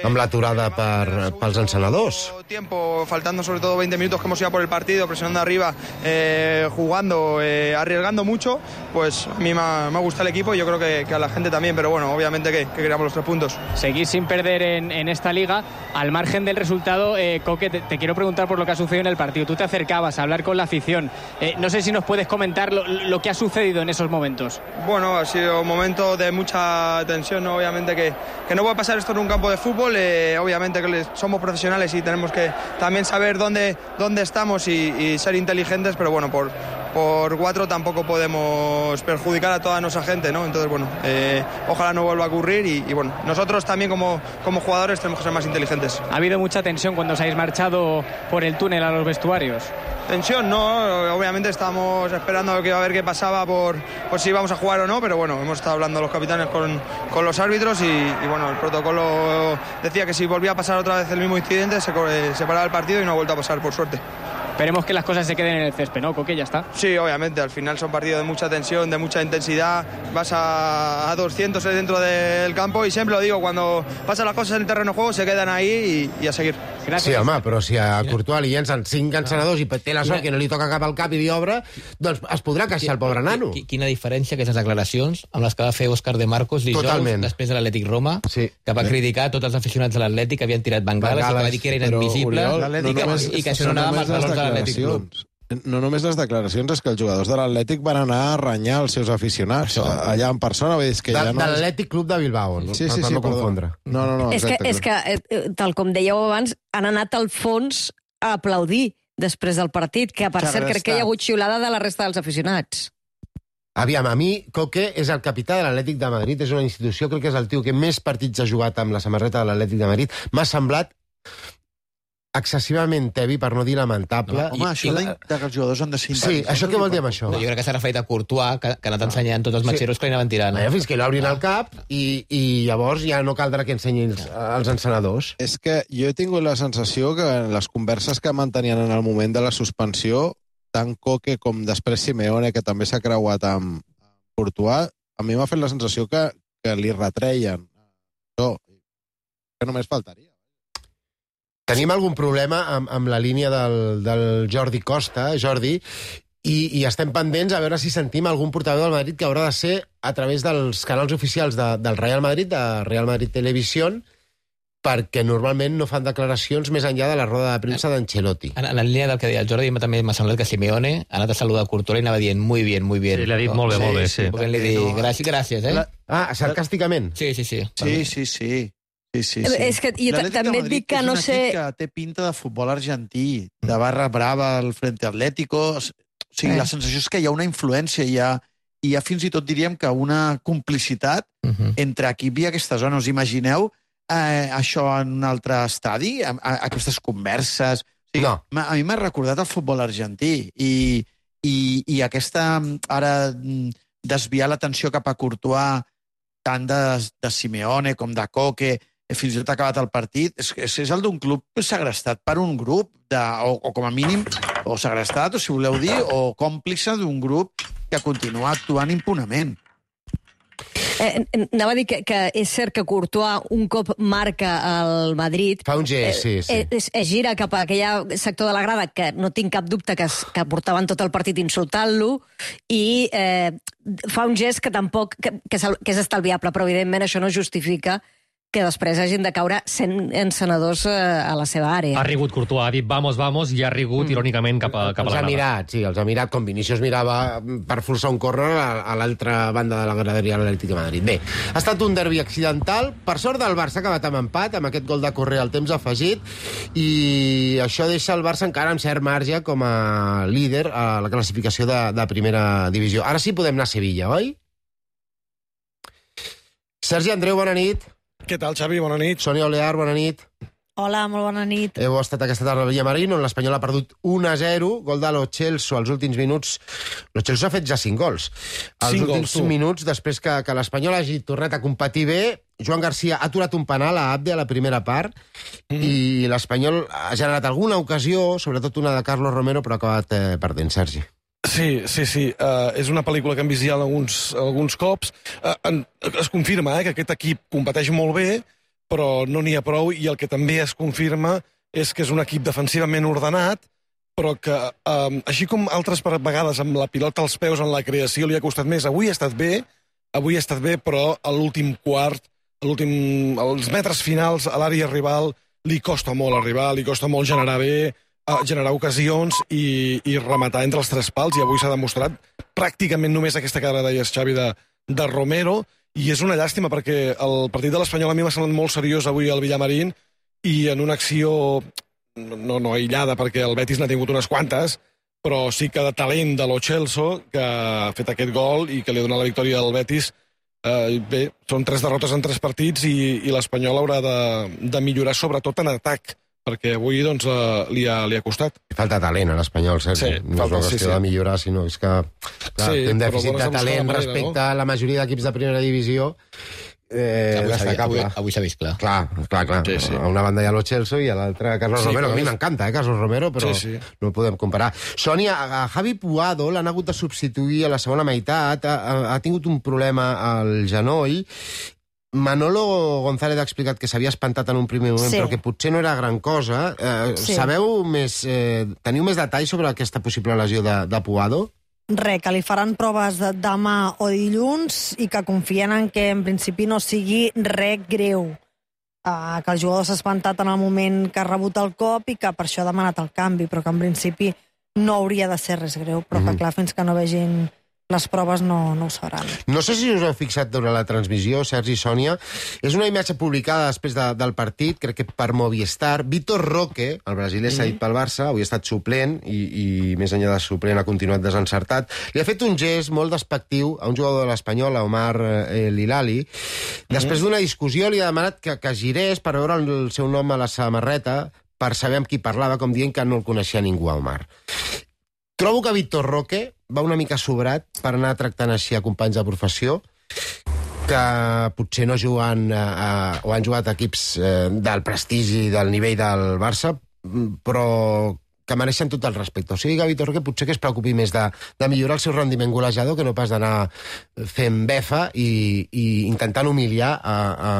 amb l'aturada per, pels encenedors. Tiempo, faltando sobre todo veinte minutos que hemos ido por el partido, presionando arriba, eh, jugando, eh, arriesgando mucho, pues a mí me ha, me ha gustado el equipo y yo creo que, que a la gente también, pero bueno, obviamente que, que queríamos los tres puntos. Seguir sin perder en, en esta liga, al margen del resultado, eh, Coque, te, te quiero preguntar por lo que ha sucedido en el partido. Tú te acercabas a hablar con la afición. Eh, no sé si nos puedes comentar lo, lo que ha sucedido en esos momentos. Bueno, ha sido un momento de mucha tensión, ¿no? Obviamente que, que no puede pasar esto en un campo de fútbol, eh, obviamente que somos profesionales y tenemos que también saber dónde, dónde estamos y, y ser inteligentes, pero bueno, por, por cuatro tampoco podemos perjudicar a toda nuestra gente, ¿no? Entonces, bueno, eh, ojalá no vuelva a ocurrir y, y bueno, nosotros también como, como jugadores tenemos que ser más inteligentes. ¿Ha habido mucha tensión cuando os habéis marchado por el túnel a los vestuarios? Tensión, no, obviamente estamos esperando a ver qué pasaba por, por si íbamos a jugar o no, pero bueno, hemos estado hablando los capitanes con, con los árbitros y, y bueno, el protocolo decía que si volvía a pasar otra vez el mismo incidente se, se paraba el partido y no ha vuelto a pasar, por suerte. Esperemos que las cosas se queden en el césped, ¿no, Coque? Ya está. Sí, obviamente, al final son partidos de mucha tensión, de mucha intensidad, vas a, a doscientos dentro del campo y siempre lo digo, cuando pasan las cosas en el terreno de juego se quedan ahí i, i a seguir. Gràcies. Sí, home, però si a Courtois li llencen cinc encenedors i té la sort que no li toca cap al cap i li obre, doncs es podrà queixar el pobre nano. Quina diferència aquestes declaracions amb les que va fer Òscar de Marcos dijous, Totalment. Després de l'Atlètic Roma, sí. que va criticar tots els aficionats de l'Atlètic que havien tirat bengales, bengales i que va dir que era inadmissible i, que, no i que això no anava amb els valors de l'Atlètic Club. No només les declaracions, és que els jugadors de l'Atlètic van anar a renyar els seus aficionats, allà en persona. Vull dir, que de ja no de l'Atlètic Club de Bilbao, no? Sí, sí, per sí, no confondre. No, no, no, és que, és que, tal com dèieu abans, han anat al fons a aplaudir després del partit, que per cert crec que hi ha hagut xiulada de la resta dels aficionats. Aviam, a mi, Coque és el capità de l'Atlètic de Madrid, és una institució, crec que és el tio que més partits ha jugat amb la samarreta de l'Atlètic de Madrid. M'ha semblat excessivament tebi, per no dir lamentable. No, home, això I, de que els jugadors han de ser sí, això què vol dir amb això? No, jo crec que s'ha referit a Courtois, que, que ha anat ensenyant tots els matxeros sí. que li anaven tirant. Eh? Fins que l'obrin al cap i, i llavors ja no caldrà que ensenyin els, els encenedors. És que jo he tingut la sensació que en les converses que mantenien en el moment de la suspensió, tant Coque com després Simeone, que també s'ha creuat amb Courtois, a mi m'ha fet la sensació que, que li retreien. No, que només faltaria. Tenim algun problema amb, amb la línia del, del Jordi Costa, Jordi, i, i estem pendents a veure si sentim algun portaveu del Madrid que haurà de ser a través dels canals oficials de, del Real Madrid, de Real Madrid Televisió, perquè normalment no fan declaracions més enllà de la roda de premsa d'Ancelotti. En, en la línia del que deia el Jordi, també m'ha semblat que Simeone ha anat a saludar a Courtois i anava dient muy bien, muy bien. Sí, l'ha dit no? molt bé, sí, molt bé, sí. Perquè li dic, gràcies, gràcies, eh? La... Ah, sarcàsticament? Sí, sí, sí. Sí, sí, sí. Sí, sí, sí. És que jo també et dic que no sé... És un equip que té pinta de futbol argentí, de barra brava al Frente Atlético. O sigui, eh. la sensació és que hi ha una influència, hi ha, hi ha fins i tot diríem que una complicitat uh -huh. entre equip i aquesta zona. Us imagineu eh, això en un altre estadi? A, a, aquestes converses? O sigui, no. A mi m'ha recordat el futbol argentí i, i, i aquesta, ara, desviar l'atenció cap a Courtois tant de, de Simeone com de Coque, fins i tot ha acabat el partit, és, és, és el d'un club segrestat per un grup, de, o, o com a mínim, o segrestat, o si voleu dir, o còmplice d'un grup que continua actuant impunament. Eh, anava a dir que, que és cert que Courtois un cop marca el Madrid... Fa un gest, sí, sí. Eh, es, es gira cap a aquell sector de la grada que no tinc cap dubte que, es, que portaven tot el partit insultant-lo i eh, fa un gest que tampoc... Que, que, és, que és estalviable, però evidentment això no justifica que després hagin de caure cent encenedors a la seva àrea. Ha rigut Courtois, ha dit vamos, vamos, i ha rigut mm. irònicament cap a, cap a la grada. Els ha mirat, sí, els ha mirat, com Vinícius mirava per forçar un córner a, a l'altra banda de la graderia de l'Atlètic de Madrid. Bé, ha estat un derbi accidental, per sort del Barça ha acabat amb empat, amb aquest gol de Correa al temps afegit, i això deixa el Barça encara amb cert marge com a líder a la classificació de, de primera divisió. Ara sí podem anar a Sevilla, oi? Sergi Andreu, bona nit. Què tal, Xavi? Bona nit. Sònia Olear, bona nit. Hola, molt bona nit. Heu estat aquesta tarda a Villamarín, on l'Espanyol ha perdut un a zero, gol de Lo Celso als últims minuts. Lo Celso ha fet ja cinc gols. Als cinc últims gols, minuts, després que, que l'Espanyol hagi tornat a competir bé, Joan Garcia ha aturat un penal a Abde a la primera part, mm. i l'Espanyol ha generat alguna ocasió, sobretot una de Carlos Romero, però ha acabat eh, perdent, Sergi. Sí, sí, sí. Uh, és una pel·lícula que hem vist ja alguns, alguns cops. Uh, en, es confirma eh, que aquest equip competeix molt bé, però no n'hi ha prou, i el que també es confirma és que és un equip defensivament ordenat, però que, um, així com altres vegades amb la pilota als peus en la creació li ha costat més, avui ha estat bé, avui ha estat bé, però a l'últim quart, a l'últim, als metres finals, a l'àrea rival, li costa molt arribar, li costa molt generar bé, generar ocasions i, i rematar entre els tres pals, i avui s'ha demostrat pràcticament només aquesta cara, deies, Xavi, de, de Romero, i és una llàstima perquè el partit de l'Espanyol a mi m'ha semblat molt seriós avui al Villamarín, i en una acció no, no aïllada, perquè el Betis n'ha tingut unes quantes, però sí que de talent de Lo Celso, que ha fet aquest gol i que li ha donat la victòria al Betis. Eh, bé, són tres derrotes en tres partits i, i l'Espanyol haurà de, de millorar sobretot en atac, perquè avui doncs, uh, li, ha, li ha costat. Falta talent a l'Espanyol, Sergi. Sí, no és una qüestió sí, sí. de millorar, sinó és que clar, sí, té un dèficit de talent manera, respecte no? a la majoria d'equips de primera divisió. Eh, avui avui, avui s'ha vist clar. Clar, clar, clar. Sí, sí. A una banda hi ha Lo Celso i a l'altra Carlos sí, Romero, que a mi m'encanta, eh, Carlos Romero, però sí, sí. no ho podem comparar. Sònia, a Javi Puado l'han hagut de substituir a la segona meitat, ha, ha tingut un problema al genoll. Manolo González ha explicat que s'havia espantat en un primer moment, sí. però que potser no era gran cosa. Eh, sí. Sabeu més... Eh, teniu més detalls sobre aquesta possible lesió de, de Puado? Re, que li faran proves de demà o dilluns i que confien en que en principi no sigui res greu. Uh, que el jugador s'ha espantat en el moment que ha rebut el cop i que per això ha demanat el canvi, però que en principi no hauria de ser res greu, però mm-hmm. que clar, fins que no vegin les proves no, no ho sabran. No sé si us heu fixat durant la transmissió, Sergi i Sònia, és una imatge publicada després de, del partit, crec que per Movistar. Vitor Roque, el brasiler mm. cedit pel Barça, avui ha estat suplent i, i més enllà de suplent ha continuat desencertat. Li ha fet un gest molt despectiu a un jugador de l'Espanyol, a Omar eh, Lilali. Després mm. d'una discussió li ha demanat que, que girés per veure el seu nom a la samarreta per saber amb qui parlava, com dient que no el coneixia ningú, a Omar. Trobo que Vitor Roque va una mica sobrat per anar tractant així a companys de professió que potser no juguen a, a, o han jugat equips eh, del prestigi i del nivell del Barça, però que mereixen tot el respecte. O sigui que Vitor Roque potser que es preocupi més de, de millorar el seu rendiment golejador que no pas d'anar fent befa i, i intentant humiliar a, a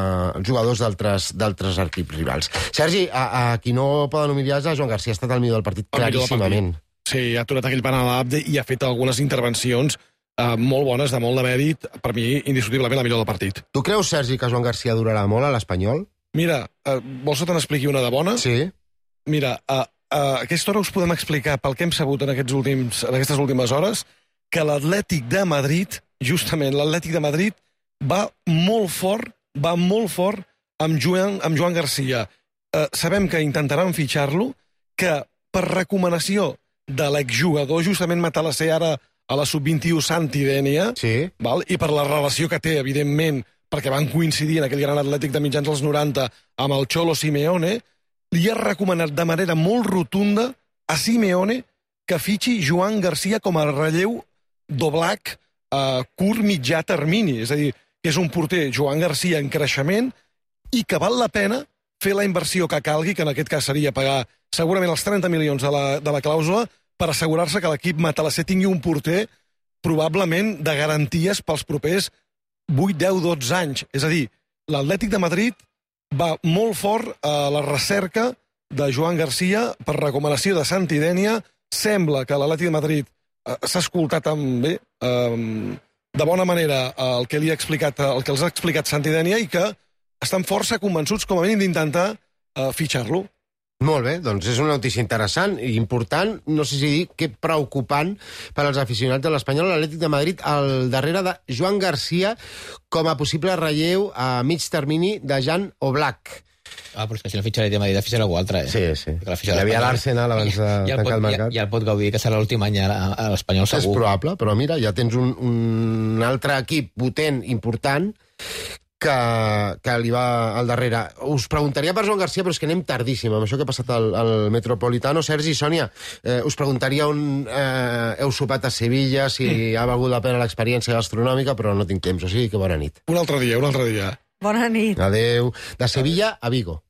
jugadors d'altres equips rivals. Sergi, a, a qui no poden humiliar és a Joan Garcia, ha estat el millor del partit claríssimament. Sí, ha aturat aquell penal a l'Abde i ha fet algunes intervencions eh, molt bones, de molt de mèrit, per mi, indiscutiblement, la millor del partit. Tu creus, Sergi, que Joan Garcia durarà molt a l'Espanyol? Mira, eh, vols que te n'expliqui una de bona? Sí. Mira, a, a aquesta hora us podem explicar, pel que hem sabut en, aquests últims, en aquestes últimes hores, que l'Atlètic de Madrid, justament l'Atlètic de Madrid, va molt fort, va molt fort amb Joan, amb Joan Garcia. Eh, sabem que intentaran fitxar-lo, que per recomanació de l'exjugador, justament Matalasser ara a la sub vint-i-u Santi Dénia, sí. val? I per la relació que té, evidentment, perquè van coincidir en aquell gran Atlètic de mitjans dels noranta amb el Cholo Simeone, li ha recomanat de manera molt rotunda a Simeone que fitxi Joan Garcia com a relleu d'Oblak a curt mitjà termini. És a dir, que és un porter, Joan Garcia, en creixement, i que val la pena fer la inversió que calgui, que en aquest cas seria pagar segurament els trenta milions de la, de la clàusula, per assegurar-se que l'equip Matalasser tingui un porter probablement de garanties pels propers vuit, deu, dotze anys. És a dir, l'Atlètic de Madrid va molt fort a la recerca de Joan Garcia per recomanació de Santi Dénia. Sembla que l'Atlètic de Madrid eh, s'ha escoltat amb, bé, eh, de bona manera el que, li ha explicat, el que els ha explicat Santi Dénia i que estan força convençuts, com a mínim, d'intentar eh, fitxar-lo. Molt bé, doncs és una notícia interessant i important, no sé si dir que preocupant per als aficionats de l'Espanyol, l'Atlètic de Madrid al darrere de Joan Garcia com a possible relleu a mig termini de Jan Oblak. Ah, però és que si no fitxa l'Atlètic de Madrid, fitxa algú altre, eh? Sí, sí. Hi havia l'Arsenal abans de ja, ja tancar el mercat. Ja, ja el pot gaudir, que serà l'últim any a l'Espanyol segur. És probable, però mira, ja tens un, un altre equip potent, important, que, que li va al darrere. Us preguntaria per Joan Garcia, però és que anem tardíssim, amb això que ha passat al, al Metropolitano. Sergi i Sònia, eh, us preguntaria on eh, heu sopat a Sevilla, si mm. ha valgut la pena l'experiència gastronòmica, però no tinc temps, o sigui que bona nit. Un altre dia, un altre dia. Bona nit. Adéu. De Sevilla a Vigo.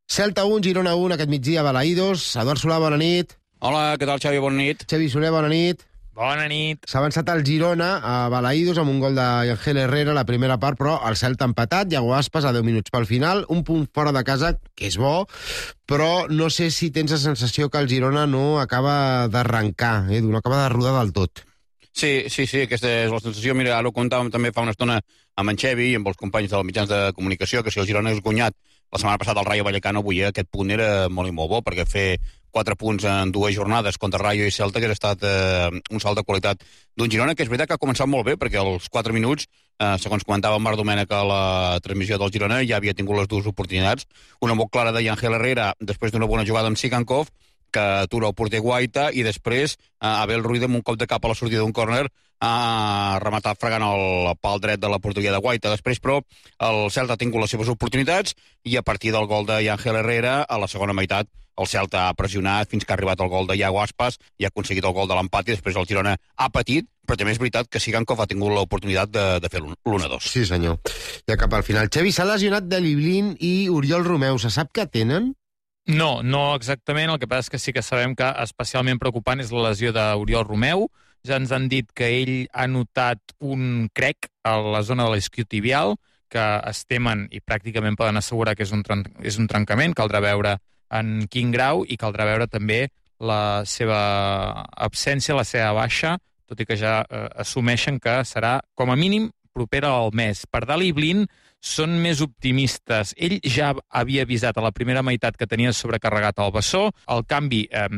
Celta un, Girona un, aquest migdia a Balaïdos. Eduard Solà, bona nit. Hola, què tal, Xavi? Bona nit. Xavi Soler, bona nit. Bona nit. S'ha avançat el Girona a Balaïdos amb un gol d'Ángel Herrera a la primera part, però el Celta ha empatat, Iago Aspas a deu minuts pel final, un punt fora de casa, que és bo, però no sé si tens la sensació que el Girona no acaba d'arrencar, eh? no acaba de rodar del tot. Sí, sí, sí, aquesta és la sensació. Mira, ara ho comentàvem també fa una estona amb en Xevi i amb els companys dels mitjans de comunicació, que si el Girona és guanyat la setmana passada al Rayo Vallecano, avui aquest punt era molt i molt bo, perquè fer quatre punts en dues jornades contra Rayo i Celta que ha estat eh, un salt de qualitat d'un Girona, que és veritat que ha començat molt bé, perquè als quatre minuts, eh, segons comentava en Marc Domènech a la transmissió del Girona, ja havia tingut les dues oportunitats. Una molt clara de Ángel Herrera, després d'una bona jugada amb Sigankov, que atura el porter Guaita, i després eh, Abel Ruiz amb un cop de cap a la sortida d'un córner ha rematat fregant el pal dret de la porteria de Guaita. Després, però, el Celta ha tingut les seves oportunitats i a partir del gol d'Ángel Herrera, a la segona meitat, el Celta ha pressionat fins que ha arribat el gol de Iago Aspas i ha aconseguit el gol de l'empat, i després el Girona ha patit, però també és veritat que Sigankov ha tingut l'oportunitat de, de fer l'un a dos. Sí, senyor. Ja cap al final. Xevi, s'ha lesionat Deli Blind i Oriol Romeu. Se sap què tenen? No, no exactament. El que passa és que sí que sabem que especialment preocupant és la lesió d'Oriol Romeu. Ja ens han dit que ell ha notat un crec a la zona de l'esquiotibial, que es temen i pràcticament poden assegurar que és un, tren és un trencament. Caldrà veure en quin grau i caldrà veure també la seva absència, la seva baixa, tot i que ja eh, assumeixen que serà com a mínim propera al mes. Per Deli Blind són més optimistes. Ell ja havia avisat a la primera meitat que tenia sobrecarregat el bessó. El canvi, eh,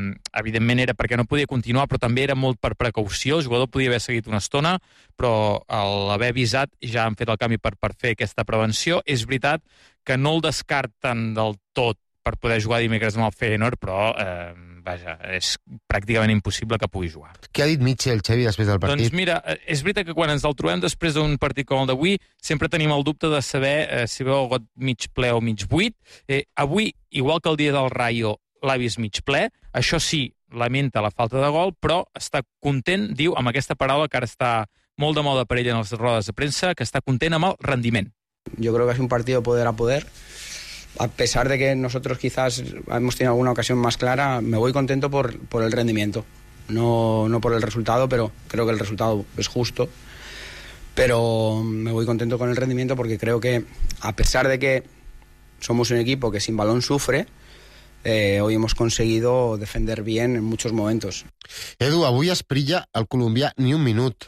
evidentment, era perquè no podia continuar, però també era molt per precaució. El jugador podia haver seguit una estona, però a l'haver avisat ja han fet el canvi per, per fer aquesta prevenció. És veritat que no el descarten del tot per poder jugar dimecres amb el Feyenoord, però eh, vaja, és pràcticament impossible que pugui jugar. Què ha dit Mitchell, Xevi, després del partit? Doncs mira, és veritat que quan ens el trobem després d'un partit com el d'avui, sempre tenim el dubte de saber eh, si veu el got mig ple o mig buit. Eh, avui, igual que el dia del Rayo, l'ha vist mig ple. Això sí, lamenta la falta de gol, però està content, diu, amb aquesta paraula que ara està molt de moda per ell en les rodes de premsa, que està content amb el rendiment. Yo creo que es un partido poder a poder. A pesar de que nosotros quizás hemos tenido alguna ocasión más clara, me voy contento por, por el rendimiento. No, no por el resultado, pero creo que el resultado es justo. Pero me voy contento con el rendimiento porque creo que, a pesar de que somos un equipo que sin balón sufre, eh, hoy hemos conseguido defender bien en muchos momentos. Edu, avui Esprilla, el colombià, ni un minut.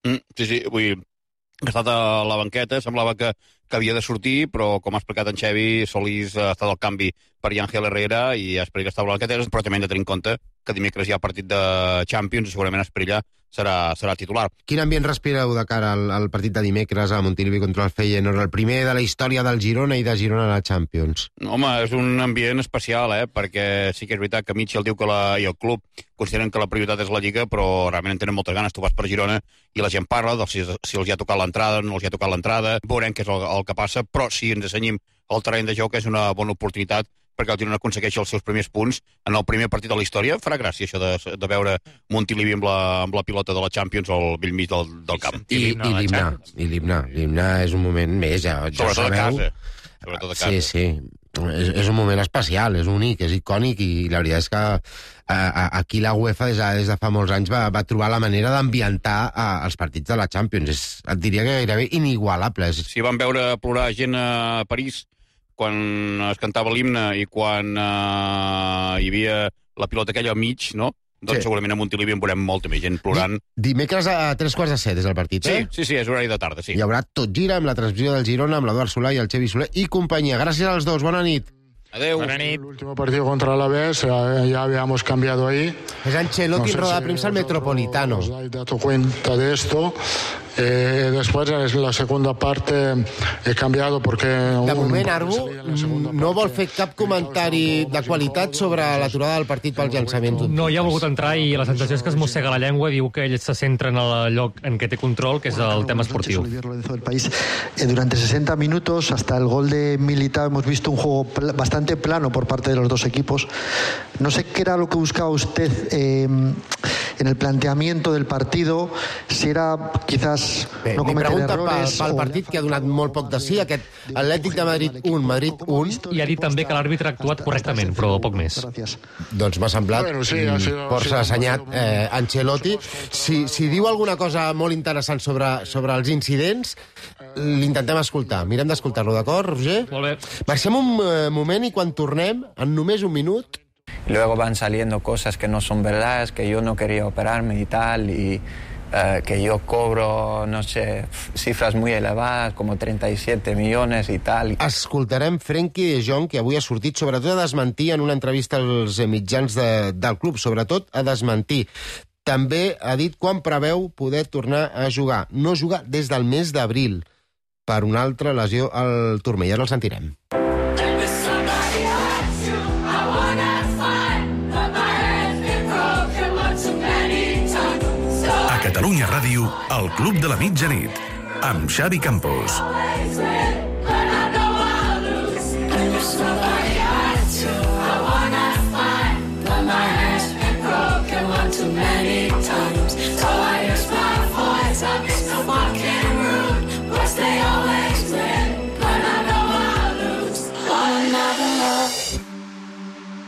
Mm, sí, sí, avui ha estat a la banqueta, semblava que que havia de sortir, però com ha explicat en Xevi, Solís ha estat al canvi per Ángel Herrera i Esprilla està a la banqueta, però també hem de tenir en compte que dimecres hi ha partit de Champions i segurament Esprilla serà, serà titular. Quin ambient respireu de cara al, al partit de dimecres a Montilivi contra el Feyenoord, el primer de la història del Girona i de Girona a la Champions? Home, és un ambient especial, eh? Perquè sí que és veritat que Mitchell diu que la, i el club consideren que la prioritat és la Lliga, però realment en tenen moltes ganes. Tu vas per Girona i la gent parla de si, si els hi ha tocat l'entrada, no els hi ha tocat l'entrada, veurem què és el, el que passa, però si ens assenyim al terreny de joc és una bona oportunitat perquè el Girona aconsegueixi els seus primers punts en el primer partit de la història. Farà gràcia això de, de veure Montilivi amb la, amb la pilota de la Champions al bell mig del, del camp. I, i l'himne, i l'himne. L'himne és un moment més, ja, ja Sobretot sabeu. a casa. Sobretot a casa. Sí, sí. És, és un moment especial, és únic, és icònic, i la veritat és que a, a, aquí la UEFA des de, des de fa molts anys va, va trobar la manera d'ambientar els partits de la Champions. És, et diria que gairebé inigualable. Si van veure plorar gent a París quan es cantava l'himne i quan uh, hi havia la pilota aquella al mig, no? Doncs sí. Segurament a Montilivi en veurem molta més gent plorant. Dimecres a tres quarts de set és el partit, eh? Sí, sí, sí, és horari de tarda, sí. Hi haurà Tot Gira amb la transmissió del Girona, amb l'Eduard Solà i el Xevi Soler i companyia. Gràcies als dos, bona nit. Adeu. Bona nit. El último partido contra el Alavés, ya habíamos cambiado ahí. Es Ancelotti no sé en rueda de prensa al Metropolitano. Os habéis dado cuenta de esto. Eh, después, en la segunda parte, he cambiado porque... De moment, Arbu no vol fer cap comentari de qualitat sobre l'aturada del partit pels llançaments. No hi ha volgut entrar i la sensació és que es mossega la llengua, diu que ell se centra en el lloc en què té control, que és el tema esportiu. Durante sesenta minutos, hasta el gol de Militao, hemos visto un juego bastante plano por parte de los dos equipos. No sé qué era lo que buscaba usted eh, en el planteamiento del partido, si era quizás Bé, no cometen errores... Li pregunta pel, pel partit que ha donat molt poc de sí, aquest Atlètic de Madrid un, Madrid un. I ha dit també que l'àrbitre ha actuat correctament, però poc més. Doncs m'ha semblat força assenyat eh, Ancelotti. Si, si diu alguna cosa molt interessant sobre, sobre els incidents, l'intentem escoltar. Mirem d'escoltar-lo, d'acord, Roger? Molt bé. Marxem un eh, moment i quan tornem, en només un minut... Luego van saliendo cosas que no son verdades, que yo no quería operarme y tal, y eh, que yo cobro, no sé, cifras muy elevadas, como treinta y siete millones y tal. Escoltarem Frenkie de Jong, que avui ha sortit sobretot a desmentir en una entrevista als mitjans de, del club, sobretot a desmentir. També ha dit quan preveu poder tornar a jugar. No jugar des del mes d'abril per una altra lesió al turmell. Ara el sentirem. Catalunya Ràdio, el Club de la Mitjanit, amb Xavi Campos.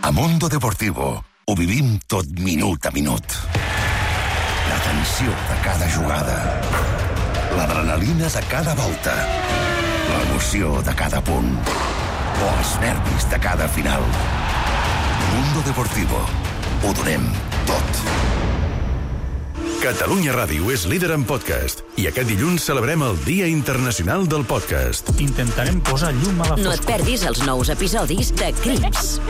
A Mundo Deportivo ho vivim tot minut a minut. La tensió de cada jugada, l'adrenalina de cada volta, l'emoció de cada punt o els nervis de cada final. Mundo Deportivo. Ho donem tot. Catalunya Ràdio és líder en podcast i aquest dilluns celebrem el Dia Internacional del Podcast. Intentarem posar llum a la foscor. No et perdis els nous episodis de Crims,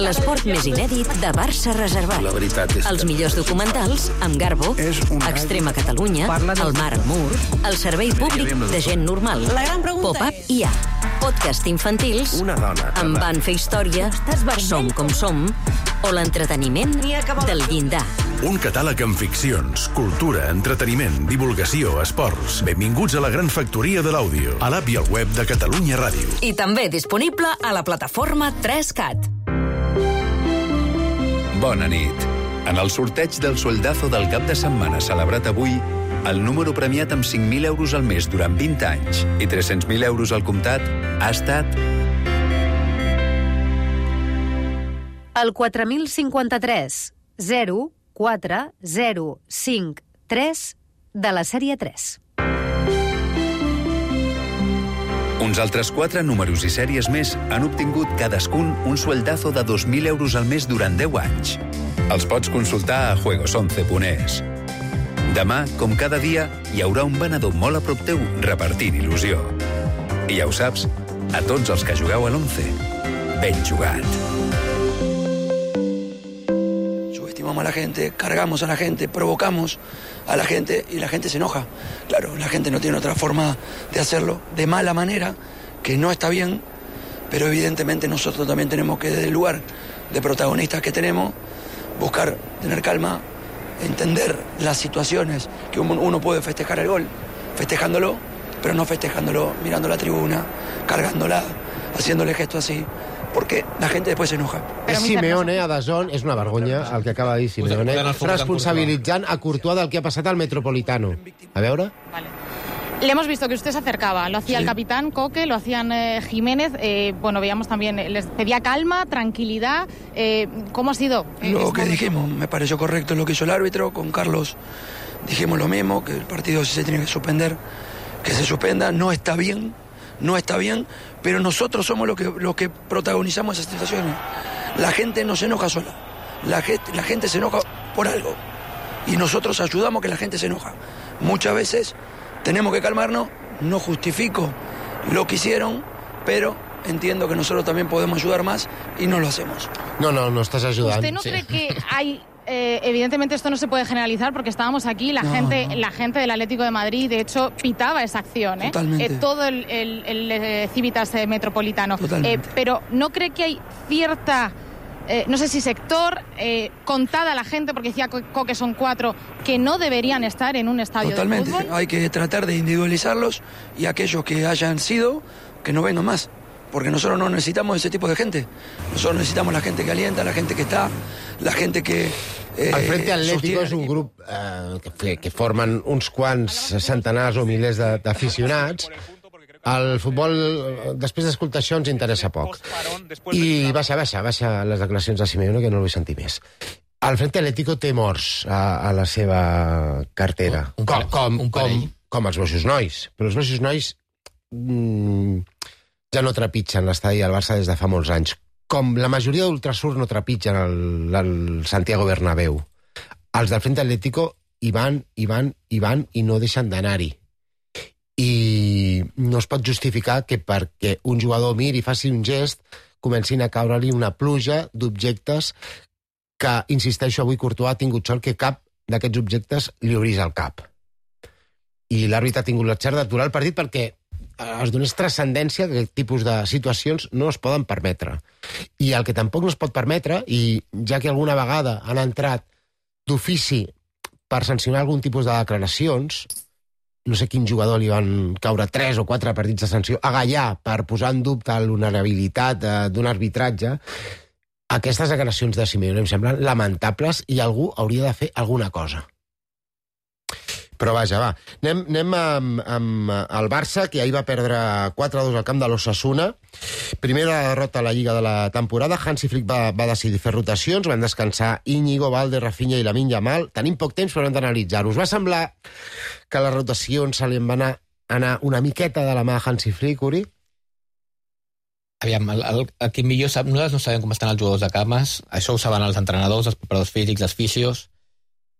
l'esport més inèdit de Barça Reservat. La veritat és que... Els millors documentals amb Garbo, Extrema Catalunya, El Mar Amur, el servei públic de gent normal, Pop-Up i A. Podcast infantils, Una dona Em van fer història, Som com som, o l'entreteniment del llindar. Un catàleg amb ficcions, cultura, entreteniment, divulgació, esports. Benvinguts a la gran factoria de l'àudio, a l'app i al web de Catalunya Ràdio. I també disponible a la plataforma tres cat. Bona nit. En el sorteig del Sueldazo del cap de setmana celebrat avui, el número premiat amb cinc mil euros al mes durant vint anys i tres-cents mil euros al comptat ha estat... El quatre mil cinquanta-tres, zero quatre zero cinc tres de la sèrie tres. Uns altres quatre números i sèries més han obtingut cadascun un sueldazo de dos mil euros al mes durant deu anys. Els pots consultar a juegos once punt es. Demà, com cada dia, hi haurà un venedor molt a prop teu repartint il·lusió. I ja ho saps, a tots els que jugueu a l'once, ben jugat. Subestimamos a la gente, cargamos a la gente, provocamos a la gente y la gente se enoja. Claro, la gente no tiene otra forma de hacerlo, de mala manera, que no está bien, pero evidentemente nosotros también tenemos que, desde el lugar de protagonistas que tenemos, buscar tener calma, entender las situaciones, que uno puede festejar el gol, festejándolo, pero no festejándolo mirando la tribuna, cargándola, haciéndole gestos así, porque la gente después se enoja. És Simeone, a Dazón, és una vergonya el que acaba de dir Simeone, responsabilitzant a Courtois del que ha passat al Metropolitano. A veure... Vale. Le hemos visto que usted se acercaba, lo hacía sí. el capitán Coque, lo hacían eh, Jiménez, eh, bueno, veíamos también, eh, les pedía calma, tranquilidad, eh, ¿cómo ha sido? Eh, lo que dijimos, me pareció correcto lo que hizo el árbitro, con Carlos dijimos lo mismo, que el partido si se tiene que suspender, que se suspenda, no está bien, no está bien, pero nosotros somos los que, los que protagonizamos esas situaciones. La gente no se enoja sola, la gente, la gente se enoja por algo, y nosotros ayudamos a que la gente se enoja. Muchas veces tenemos que calmarnos, no justifico lo que hicieron, pero entiendo que nosotros también podemos ayudar más y no lo hacemos. No, no, no estás ayudando. ¿Usted no sí. cree que hay... Eh, evidentemente esto no se puede generalizar porque estábamos aquí, la, no, gente, no. la gente del Atlético de Madrid, de hecho, pitaba esa acción. ¿eh? Totalmente. Eh, todo el, el, el, el Civitas eh, Metropolitano. Totalmente. Eh, pero ¿no cree que hay cierta... Eh, no sé si sector, eh, contada la gente, porque decía Coque son cuatro, que no deberían estar en un estadio Totalmente. de fútbol? Hay que tratar de individualizarlos y aquellos que hayan sido, que no vengan más. Porque nosotros no necesitamos ese tipo de gente. Nosotros necesitamos la gente que alienta, la gente que está, la gente que, Eh, el Frente Atlético és un grup eh, que, que formen uns quants centenars o milers d'aficionats. El futbol, després d'escoltar això, ens interessa poc. I baixa, baixa, baixa les declaracions de Simeone, que no el vull sentir més. El Frente Atlético té morts a, a la seva cartera. Un, un, com, com, un com, com els Boixos Nois. Però els Boixos Nois mmm, ja no trepitgen l'estadi del Barça des de fa molts anys. Com la majoria d'Ultrasur no trepitgen el, el Santiago Bernabéu. Els del Frente Atlético hi van, hi van, hi van i no deixen d'anar-hi. I no es pot justificar que perquè un jugador miri i faci un gest comencin a caure-li una pluja d'objectes que, insisteixo, avui Courtois ha tingut sort que cap d'aquests objectes li obrís el cap. I l'àrbitre ha tingut l'encert d'aturar el partit perquè es donés transcendència que aquest tipus de situacions no es poden permetre. I el que tampoc no es pot permetre, i ja que alguna vegada han entrat d'ofici per sancionar algun tipus de declaracions, no sé quin jugador li van caure tres o quatre partits de sanció a Gallà per posar en dubte l'honorabilitat d'un arbitratge, aquestes declaracions de Simeone em semblen lamentables i algú hauria de fer alguna cosa. Però vaja, va. Anem, anem amb, amb el Barça, que ahir va perdre quatre a dos al camp de l'Osasuna. Primera derrota a la Lliga de la temporada. Hansi Flick va, va decidir fer rotacions, van descansar Íñigo, Valde, Rafinha i Lamine Yamal. Tenim poc temps, però hem d'analitzar-ho. Us va semblar que les rotacions se li van anar, anar una miqueta de la mà a Hansi Flick, Uri? Aviam, el, el, el que millor sap, nosaltres no sabem com estan els jugadors de cames, això ho saben els entrenadors, els preparadors físics, els fisios.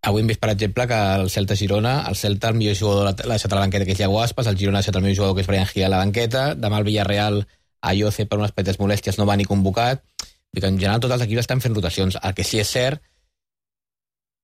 Avui hem vist, per exemple, que el Celta Girona, el Celta, el millor jugador l'ha deixat a la banqueta, que és Iago Aspas, el Girona ha deixat el millor jugador, que és Brian Gil, a la banqueta, demà el Villarreal, a Ioce, per unes petites molèsties, no va ni convocat. Vull dir que en general tots els equips estan fent rotacions. El que sí és cert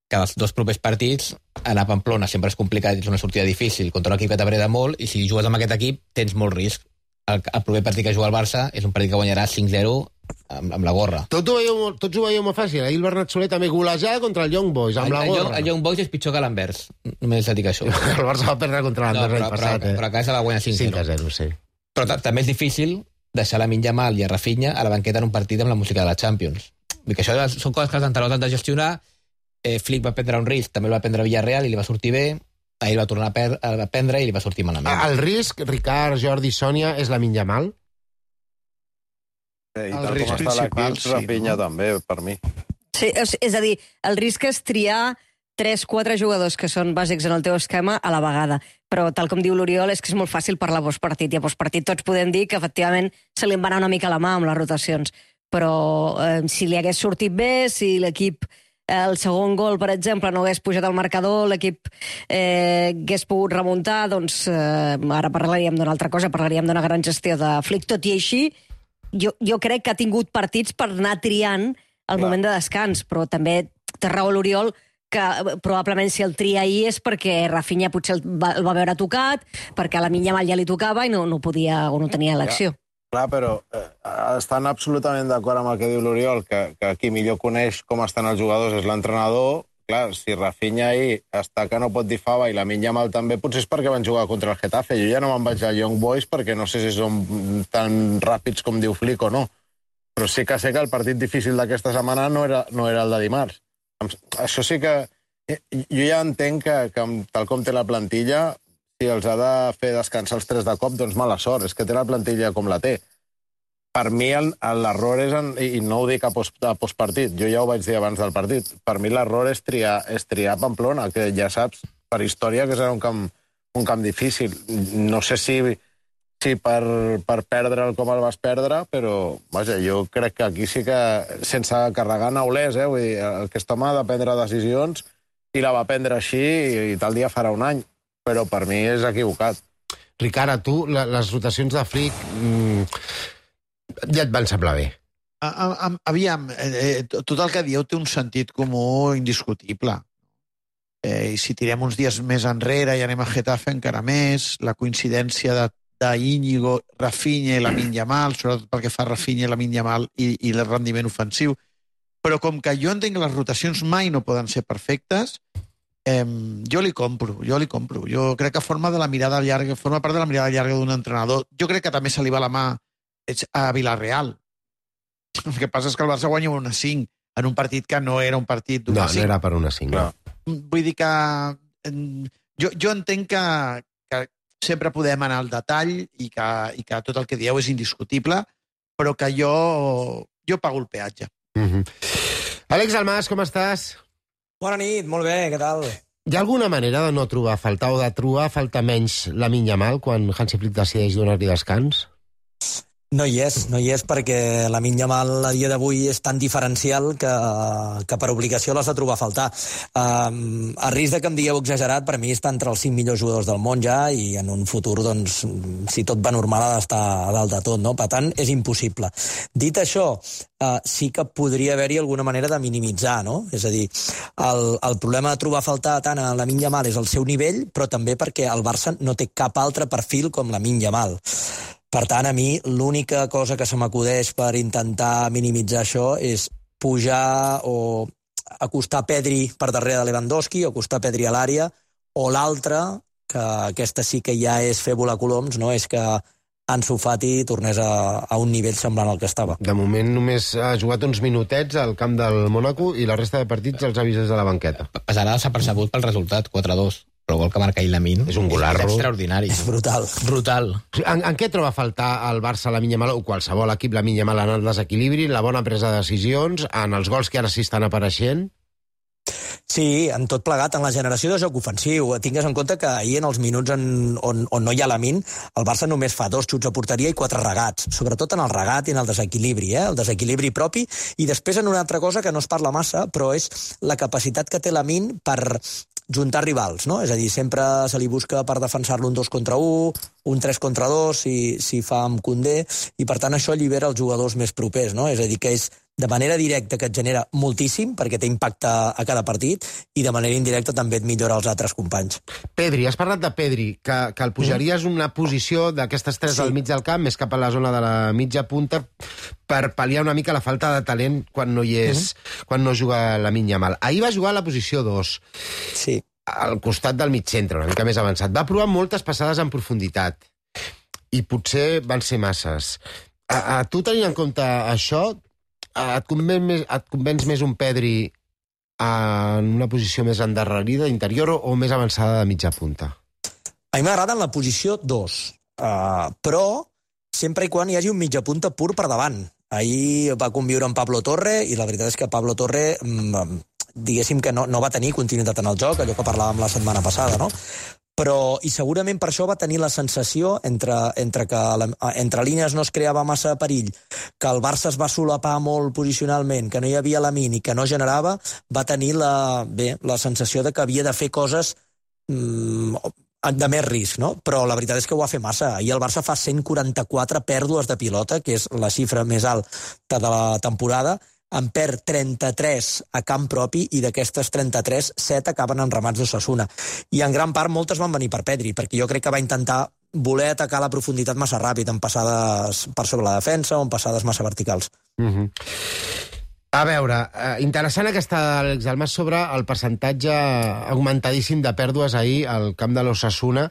que els dos propers partits, anar a Pamplona sempre és complicat, és una sortida difícil contra un equip que t'apreta molt, i si jugues amb aquest equip tens molt risc. El, el proper partit que juga el Barça és un partit que guanyarà cinc zero amb, amb la gorra. Tot ho veieu, tots ho veieu molt fàcil. Ahir el Bernat Soler també golejada contra el Young Boys, amb el, la gorra. El, el Young Boys és pitjor que l'Anvers. Només et dic això. El Barça va perdre contra l'Anvers l'any passat. Però, eh? però a casa va guanyar cinc a zero, sí. Però també és difícil deixar Lamine Yamal i a Rafinha a la banqueta en un partit amb la música de la Champions. Vull dir que això són coses que els entrenadors han de gestionar. Eh, Flick va prendre un risc, també el va prendre Villarreal i li va sortir bé. Ahir va tornar a, per, a prendre i li va sortir malament. El risc, Ricard, Jordi, Sònia, és Lamine Yamal? I tal com està l'equip, sí, Rafinha no? També, per mi. Sí, és a dir, el risc és triar tres quatre jugadors que són bàsics en el teu esquema a la vegada. Però, tal com diu l'Oriol, és que és molt fàcil parlar a postpartit. I a postpartit tots podem dir que, efectivament, se li en va anar una mica la mà amb les rotacions. Però eh, si li hagués sortit bé, si l'equip, eh, el segon gol, per exemple, no hagués pujat al marcador, l'equip eh, hagués pogut remuntar, doncs eh, ara parlaríem d'una altra cosa, parlaríem d'una gran gestió de Flick. Tot i així, Jo, jo crec que ha tingut partits per anar triant el Clar. moment de descans, però també té raó l'Oriol que probablement si el tria ahir és perquè Rafinha potser el va, el va veure tocat, perquè a la Yamal ja li tocava i no, no podia o no tenia elecció. Clar, però eh, estan absolutament d'acord amb el que diu l'Oriol, que, que qui millor coneix com estan els jugadors és l'entrenador. Clar, si Rafinha ahir està que no pot dir fava i la Yamal també, potser és perquè van jugar contra el Getafe. Jo ja no me'n vaig al Young Boys perquè no sé si són tan ràpids com diu Flick o no. Però sí que sé que el partit difícil d'aquesta setmana no era, no era el de dimarts. Això sí que... Jo ja entenc que, que tal com té la plantilla, si els ha de fer descansar els tres de cop, doncs mala sort. És que té la plantilla com la té. Per mi l'error és, en, i no ho dic a, post, a postpartit, jo ja ho vaig dir abans del partit, per mi l'error és triar, és triar Pamplona, que ja saps per història que serà un camp, un camp difícil. No sé si, si per, per perdre'l com el vas perdre, però vaja, jo crec que aquí sí que, sense carregar neulers, eh, vull dir, aquest home ha de prendre decisions i la va prendre així i, i tal dia farà un any, però per mi és equivocat. Ricard, a tu, la, les rotacions de Flick... Mmm... ja et van semblar bé. Aviam, eh, tot el que dieu té un sentit comú indiscutible. Eh, I si tirem uns dies més enrere i anem a Getafe encara més, la coincidència de, de Íñigo, Rafinha i Lamine Yamal, sobretot pel que fa a Rafinha i Lamine Yamal i, i el rendiment ofensiu. Però com que jo entenc que les rotacions mai no poden ser perfectes, eh, jo li compro, jo li compro. Jo crec que forma de la mirada llarga, forma part de la mirada llarga d'un entrenador. Jo crec que també se li va la mà a Villarreal. El que passa és que el Barça guanya una cinc. en un partit que no era un partit d'un No, a cinc. no era per una cinc. No. Vull dir que jo, jo entenc que, que sempre podem anar al detall i que, i que tot el que dieu és indiscutible, però que jo, jo pago el peatge. Mm-hmm. Àlex Almàs, com estàs? Bona nit, molt bé, què tal? Hi ha alguna manera de no trobar a faltar o de trobar a faltar menys Lamine Yamal quan Hansi Flick decideix donar-li descans? No hi és, no hi és perquè Lamine Yamal a dia d'avui és tan diferencial que, que per obligació l'has de trobar a faltar. Um, a risc de que em digueu exagerat, per mi està entre els cinc millors jugadors del món ja i en un futur, doncs, si tot va normal, ha d'estar a dalt de tot, no? Per tant, és impossible. Dit això, uh, sí que podria haver-hi alguna manera de minimitzar, no? És a dir, el, el problema de trobar a faltar tant a Lamine Yamal és el seu nivell, però també perquè el Barça no té cap altre perfil com Lamine Yamal. Per tant, a mi l'única cosa que se m'acudeix per intentar minimitzar això és pujar o acostar Pedri per darrere de Lewandowski, o acostar Pedri a l'àrea, o l'altra, que aquesta sí que ja és fer volar coloms, no? És que Ansu Fati tornés a, a un nivell semblant al que estava. De moment només ha jugat uns minutets al camp del Mónaco i la resta de partits els ha vist des de la banqueta. Passarà desapercebut pel resultat, quatre a dos. Però el gol que marca Lamine és un golarro. És extraordinari. És brutal. Brutal. En, en què troba a faltar el Barça, Lamine Yamal, o qualsevol equip, Lamine Yamal, en el desequilibri, la bona presa de decisions, en els gols que ara sí estan apareixent? Sí, en tot plegat, en la generació de joc ofensiu. Tingues en compte que ahir, en els minuts en, on, on no hi ha Lamine, el Barça només fa dos xuts a porteria i quatre regats, sobretot en el regat i en el desequilibri, eh? el desequilibri propi, i després en una altra cosa que no es parla massa, però és la capacitat que té Lamine per juntar rivals, no? És a dir, sempre se li busca per defensar-lo un dos contra un, un tres contra dos, si, si fa amb Koundé, i per tant això allibera els jugadors més propers, no? És a dir, que és de manera directa que et genera moltíssim, perquè té impacte a cada partit, i de manera indirecta també et millora els altres companys. Pedri, has parlat de Pedri, que, que el pujaries mm. una posició d'aquestes tres sí. al mig del camp, més cap a la zona de la mitja punta, per pal·liar una mica la falta de talent quan no hi és, mm. quan no juga Lamine Yamal. Ahir va jugar a la posició dos. Sí. Al costat del mig centre, una mica més avançat. Va provar moltes passades en profunditat, i potser van ser masses. A, a tu, tenint en compte això, et convenç més, et convenç més un Pedri en una posició més endarrerida, interior, o més avançada de mitja punta? A mi m'agrada en la posició dos, uh, però sempre i quan hi hagi un mitja punta pur per davant. Ahir va conviure amb Pablo Torre, i la veritat és que Pablo Torre, diguéssim que no, no va tenir continuïtat en el joc, allò que parlàvem la setmana passada, no? Però, i segurament per això va tenir la sensació, entre, entre que la, entre línies no es creava massa perill, que el Barça es va solapar molt posicionalment, que no hi havia Lamine i que no generava, va tenir la, bé, la sensació de que havia de fer coses mmm, de més risc, no? Però la veritat és que ho va fer massa. Ahir el Barça fa cent quaranta-quatre pèrdues de pilota, que és la xifra més alta de la temporada, en perd trenta-tres a camp propi, i d'aquestes trenta-tres, set acaben en ramats d'Osasuna. I en gran part moltes van venir per Pedri, perquè jo crec que va intentar voler atacar la profunditat massa ràpid, en passades per sobre la defensa o en passades massa verticals. Mm-hmm. A veure, eh, interessant aquesta d'Àlex Almàs sobre el percentatge augmentadíssim de pèrdues ahir al camp de l'Osasuna,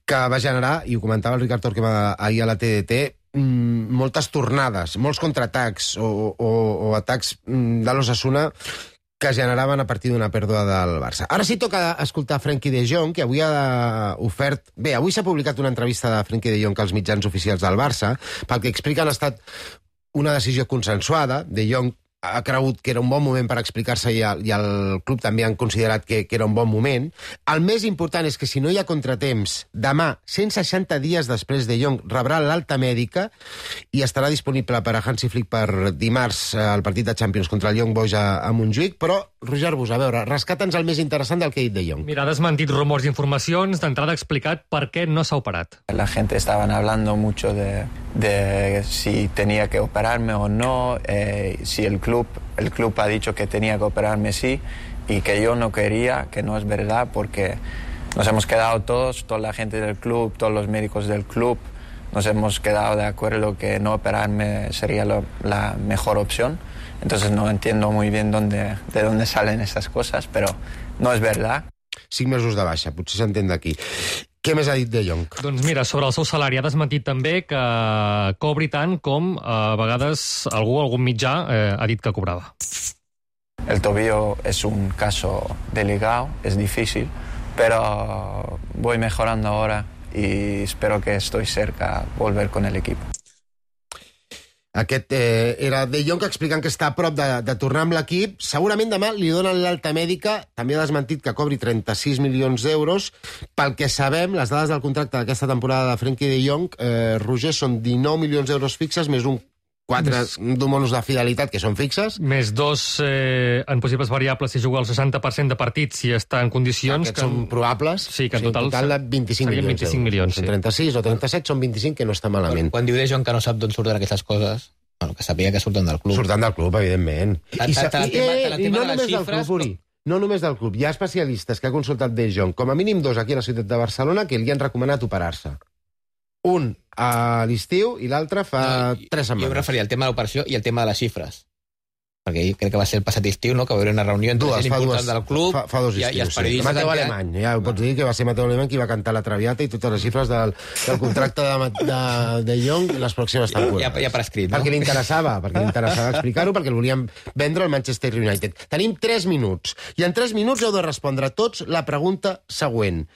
que va generar, i ho comentava el Ricard Torquemada ahir a la T D T, moltes tornades, molts contraatacs o, o, o atacs de l'Osasuna que generaven a partir d'una pèrdua del Barça. Ara sí toca escoltar Frenkie de Jong, que avui ha ofert... Bé, avui s'ha publicat una entrevista de Frenkie de Jong als mitjans oficials del Barça, pel que expliquen ha estat una decisió consensuada. De Jong ha cregut que era un bon moment per explicar-se, i, i el club també han considerat que, que era un bon moment. El més important és que si no hi ha contratemps, demà, cent seixanta dies després, De Jong rebrà l'alta mèdica i estarà disponible per a Hansi Flick per dimarts al partit de Champions contra el Young Boys a, a Montjuïc. Però, Roger Bus, a veure, rescata'ns el més interessant del que ha dit De Jong. Mira, ha desmentit rumors i informacions, d'entrada ha explicat per què no s'ha operat. La gente estaban hablando mucho de, de si tenía que operarme o no, eh, si el club El club ha dicho que tenía que operarme sí y que yo no quería, que no es verdad, porque nos hemos quedado todos, toda la gente del club, todos los médicos del club, nos hemos quedado de acuerdo que no operarme sería lo, la mejor opción. Entonces no entiendo muy bien dónde, de dónde salen esas cosas, pero no es verdad. Cinc mesos de baixa, potser s'entén d'aquí. Què més ha dit De Jong? Doncs mira, sobre el seu salari ha desmentit també que cobri tant com a vegades algú, algun mitjà, eh, ha dit que cobrava. el tobillo es un caso delicado, es difícil, pero voy mejorando ahora y espero que estoy cerca de volver con el equipo. Aquest eh, era De Jong explicant que està a prop de, de tornar amb l'equip. Segurament demà li donen l'alta mèdica. També ha desmentit que cobri trenta-sis milions d'euros. Pel que sabem, les dades del contracte d'aquesta temporada de Frenkie De Jong, eh, Roger, són dinou milions d'euros fixes, més un quatre d'un bonus de fidelitat, que són fixes. Més dos eh, en possibles variables si juga el seixanta per cent de partits, si està en condicions... Aquests que són probables. Sí, que en o sigui, total, total de vint-i-cinc milions. vint-i-cinc milions, sí. Són trenta-sis o trenta-set, són vint-i-cinc, que no està malament. Quan, quan diu De Jong que no sap d'on surten aquestes coses, bueno, que sàpiga que surten del club. Surten del club, evidentment. Ta, ta, ta, I, i, i no només del club, Uri. No només del club. Hi ha especialistes que ha consultat De Jong, com a mínim dos aquí a la ciutat de Barcelona, que li han recomanat operar-se. Un a l'estiu i l'altre fa no, tres setmanes. Jo em referia al tema de l'operació i al tema de les xifres. Perquè crec que va ser el passat estiu, no?, que va haver una reunió entre gent important del club fa, fa dos estius, i, i els periodistes. Sí. Mateu Alemany, ja ho pots dir, que va ser Mateu Alemany qui va cantar la Traviata i totes les xifres del, del contracte de, de, de Jong les pròximes temporades. Ja, ja prescrit, no? Perquè li interessava, perquè li interessava explicar-ho, perquè el volíem vendre al Manchester United. Tenim tres minuts, i en tres minuts heu de respondre tots la pregunta següent.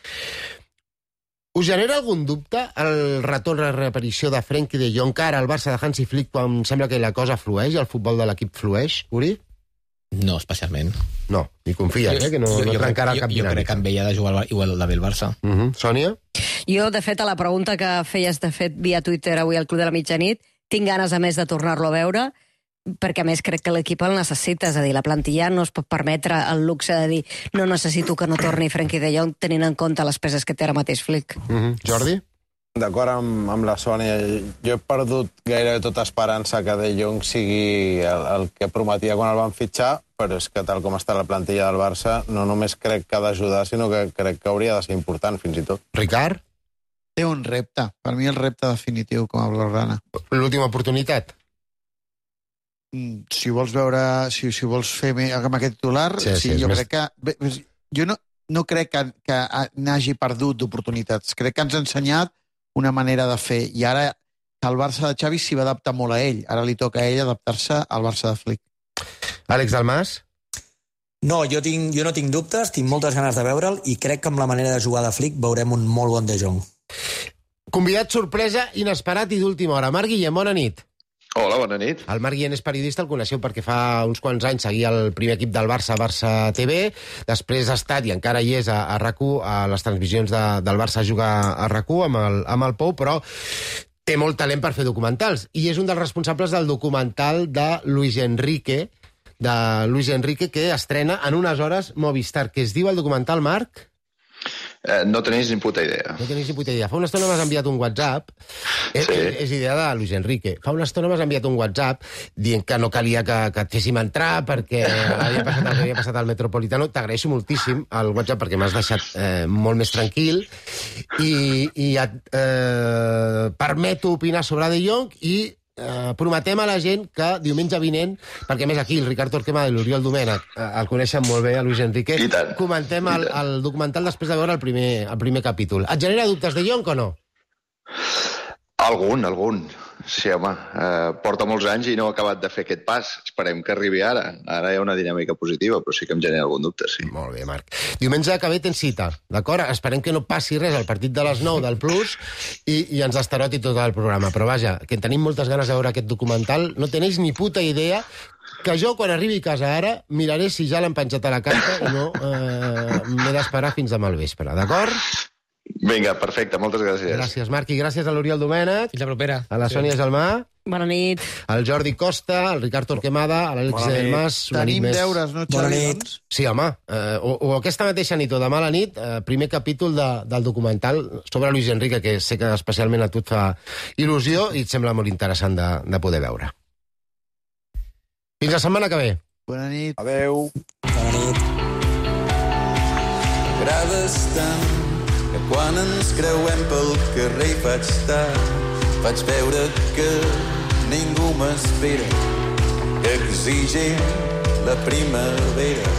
Us genera algun dubte el retorn a reaparició de Frenkie de Jong ara al Barça de Hansi Flick quan sembla que la cosa flueix, el futbol de l'equip flueix, Uri? No, especialment. No, ni confies, eh, que no, jo, no jo, trencarà jo, cap dinàmica. Jo crec que amb ell ha de jugar igual del el Barça. Uh -huh. Sònia? Jo, de fet, a la pregunta que feies, de fet, via Twitter avui al Club de la Mitjanit, tinc ganes, a més, de tornar-lo a veure, perquè a més crec que l'equip el necessita, és a dir, la plantilla no es pot permetre el luxe de dir no necessito que no torni Frenkie de Jong tenint en compte les peces que té ara mateix Flick. Mm-hmm. Jordi? D'acord amb, amb la Sònia, jo he perdut gairebé tota esperança que De Jong sigui el, el que prometia quan el van fitxar, però és que tal com està la plantilla del Barça no només crec que ha d'ajudar, sinó que crec que hauria de ser important, fins i tot. Ricard? Té un repte, per mi el repte definitiu com a blaugrana. L'última oportunitat? Si vols veure, si, si vols fer amb aquest titular, sí, sí, sí, jo més... crec que... Jo no, no crec que, que n'hagi perdut d'oportunitats. Crec que ens ha ensenyat una manera de fer. I ara el Barça de Xavi s'hi va adaptar molt a ell. Ara li toca a ell adaptar-se al Barça de Flick. Àlex Dalmas? No, jo, tinc, jo no tinc dubtes, tinc moltes ganes de veure'l i crec que amb la manera de jugar de Flick veurem un molt bon De Jong. Convidat sorpresa, inesperat i d'última hora. Marc Guillem, bona nit. Hola, bona nit. El Marc Guillem és periodista, el coneixeu perquè fa uns quants anys seguia el primer equip del Barça, Barça T V, després ha estat, i encara hi és, a, a RAC u, a les transmissions de, del Barça jugar a RAC u amb el, amb el Pou, però té molt talent per fer documentals, i és un dels responsables del documental de Luis Enrique, de Luis Enrique, que estrena en unes hores Movistar, que es diu el documental, Marc? Eh, no tenéis ni puta idea. No tenéis ni puta idea. Fa una estona m'has enviat un WhatsApp, sí. és, és idea de Luis Enrique, fa una estona m'has enviat un WhatsApp dient que no calia que, que et féssim entrar perquè havia passat el que havia passat al Metropolitano. T'agraeixo moltíssim el WhatsApp perquè m'has deixat eh, molt més tranquil i, i et eh, permeto opinar sobre De Jong i Uh, prometem a la gent que diumenge vinent, perquè més aquí el Ricard Torquemada i l'Oriol Domènech uh, el coneixen molt bé, a Luis Enrique, comentem el, el documental després de veure el primer, el primer capítol. Et genera dubtes De Jong o no? Algun, algun. Sí, home, eh, porta molts anys i no ha acabat de fer aquest pas. Esperem que arribi ara. Ara hi ha una dinàmica positiva, però sí que em genera algun dubte, sí. Molt bé, Marc. Diumenge que ve tens cita, d'acord? Esperem que no passi res al partit de les nou del Plus i, i ens estaroti tot el programa. Però vaja, que tenim moltes ganes de veure aquest documental. No tenéis ni puta idea que jo, quan arribi a casa ara, miraré si ja l'han penjat a la carta i no eh, m'he d'esperar fins demà al vespre, d'acord? Vinga, perfecte, moltes gràcies. Gràcies, Marc, i gràcies a l'Oriol Domènech. Fins la propera. A la Sònia Gelmà. Bona nit. Al Jordi Costa, al Ricard Torquemada, a l'Àlex Delmas. Tenim més... deures, no, Xavi? Bona nit. Sí, home. Eh, o, o aquesta mateixa nit o demà a la nit, eh, primer capítol de, del documental sobre Luis Enrique, que sé que especialment a tu et fa il·lusió i et sembla molt interessant de, de poder veure. Fins la setmana que ve. Bona nit. Adeu. Bona nit. M'agrades tant que quan ens creuem pel carrer faig tard, faig veure que ningú m'espera, que exigim la primavera,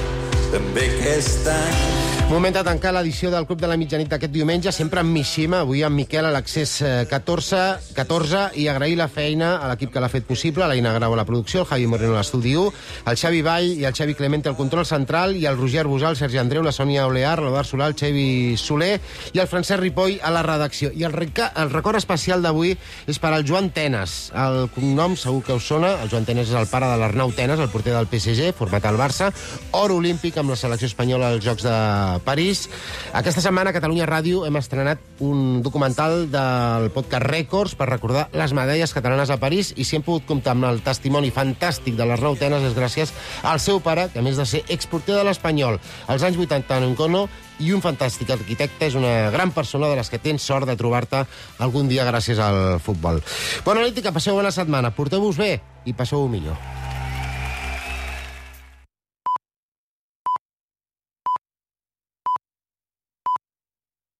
també aquest any. Moment de tancar l'edició del Club de la Mitjanit d'aquest diumenge, sempre amb Mishima, avui amb Miquel a l'accés catorze, catorze, i agrair la feina a l'equip que l'ha fet possible, l'Aina Grau a la producció, el Javi Moreno a l'estudi u, el Xavi Vall i el Xavi Clemente al control central, i el Roger Busal, el Sergi Andreu, la Sònia Olear, l'Eduard Solà, el Xavi Soler i el Francesc Ripoll a la redacció. I el, reca... el record especial d'avui és per al Joan Tenas. El cognom segur que us sona. El Joan Tenas és el pare de l'Arnau Tenas, el porter del P S G, format al Barça, or olímpic amb la selecció espanyola als Jocs de París. Aquesta setmana a Catalunya Ràdio hem estrenat un documental del podcast Rècords per recordar les medalles catalanes a París, i si hem pogut comptar amb el testimoni fantàstic de l'Arnau Tenas és gràcies al seu pare, que a més de ser exporter de l'Espanyol als anys vuitanta en Encono i un fantàstic arquitecte, és una gran persona de les que tens sort de trobar-te algun dia gràcies al futbol. Bona nit i que passeu bona setmana. Porteu-vos bé i passeu-ho millor.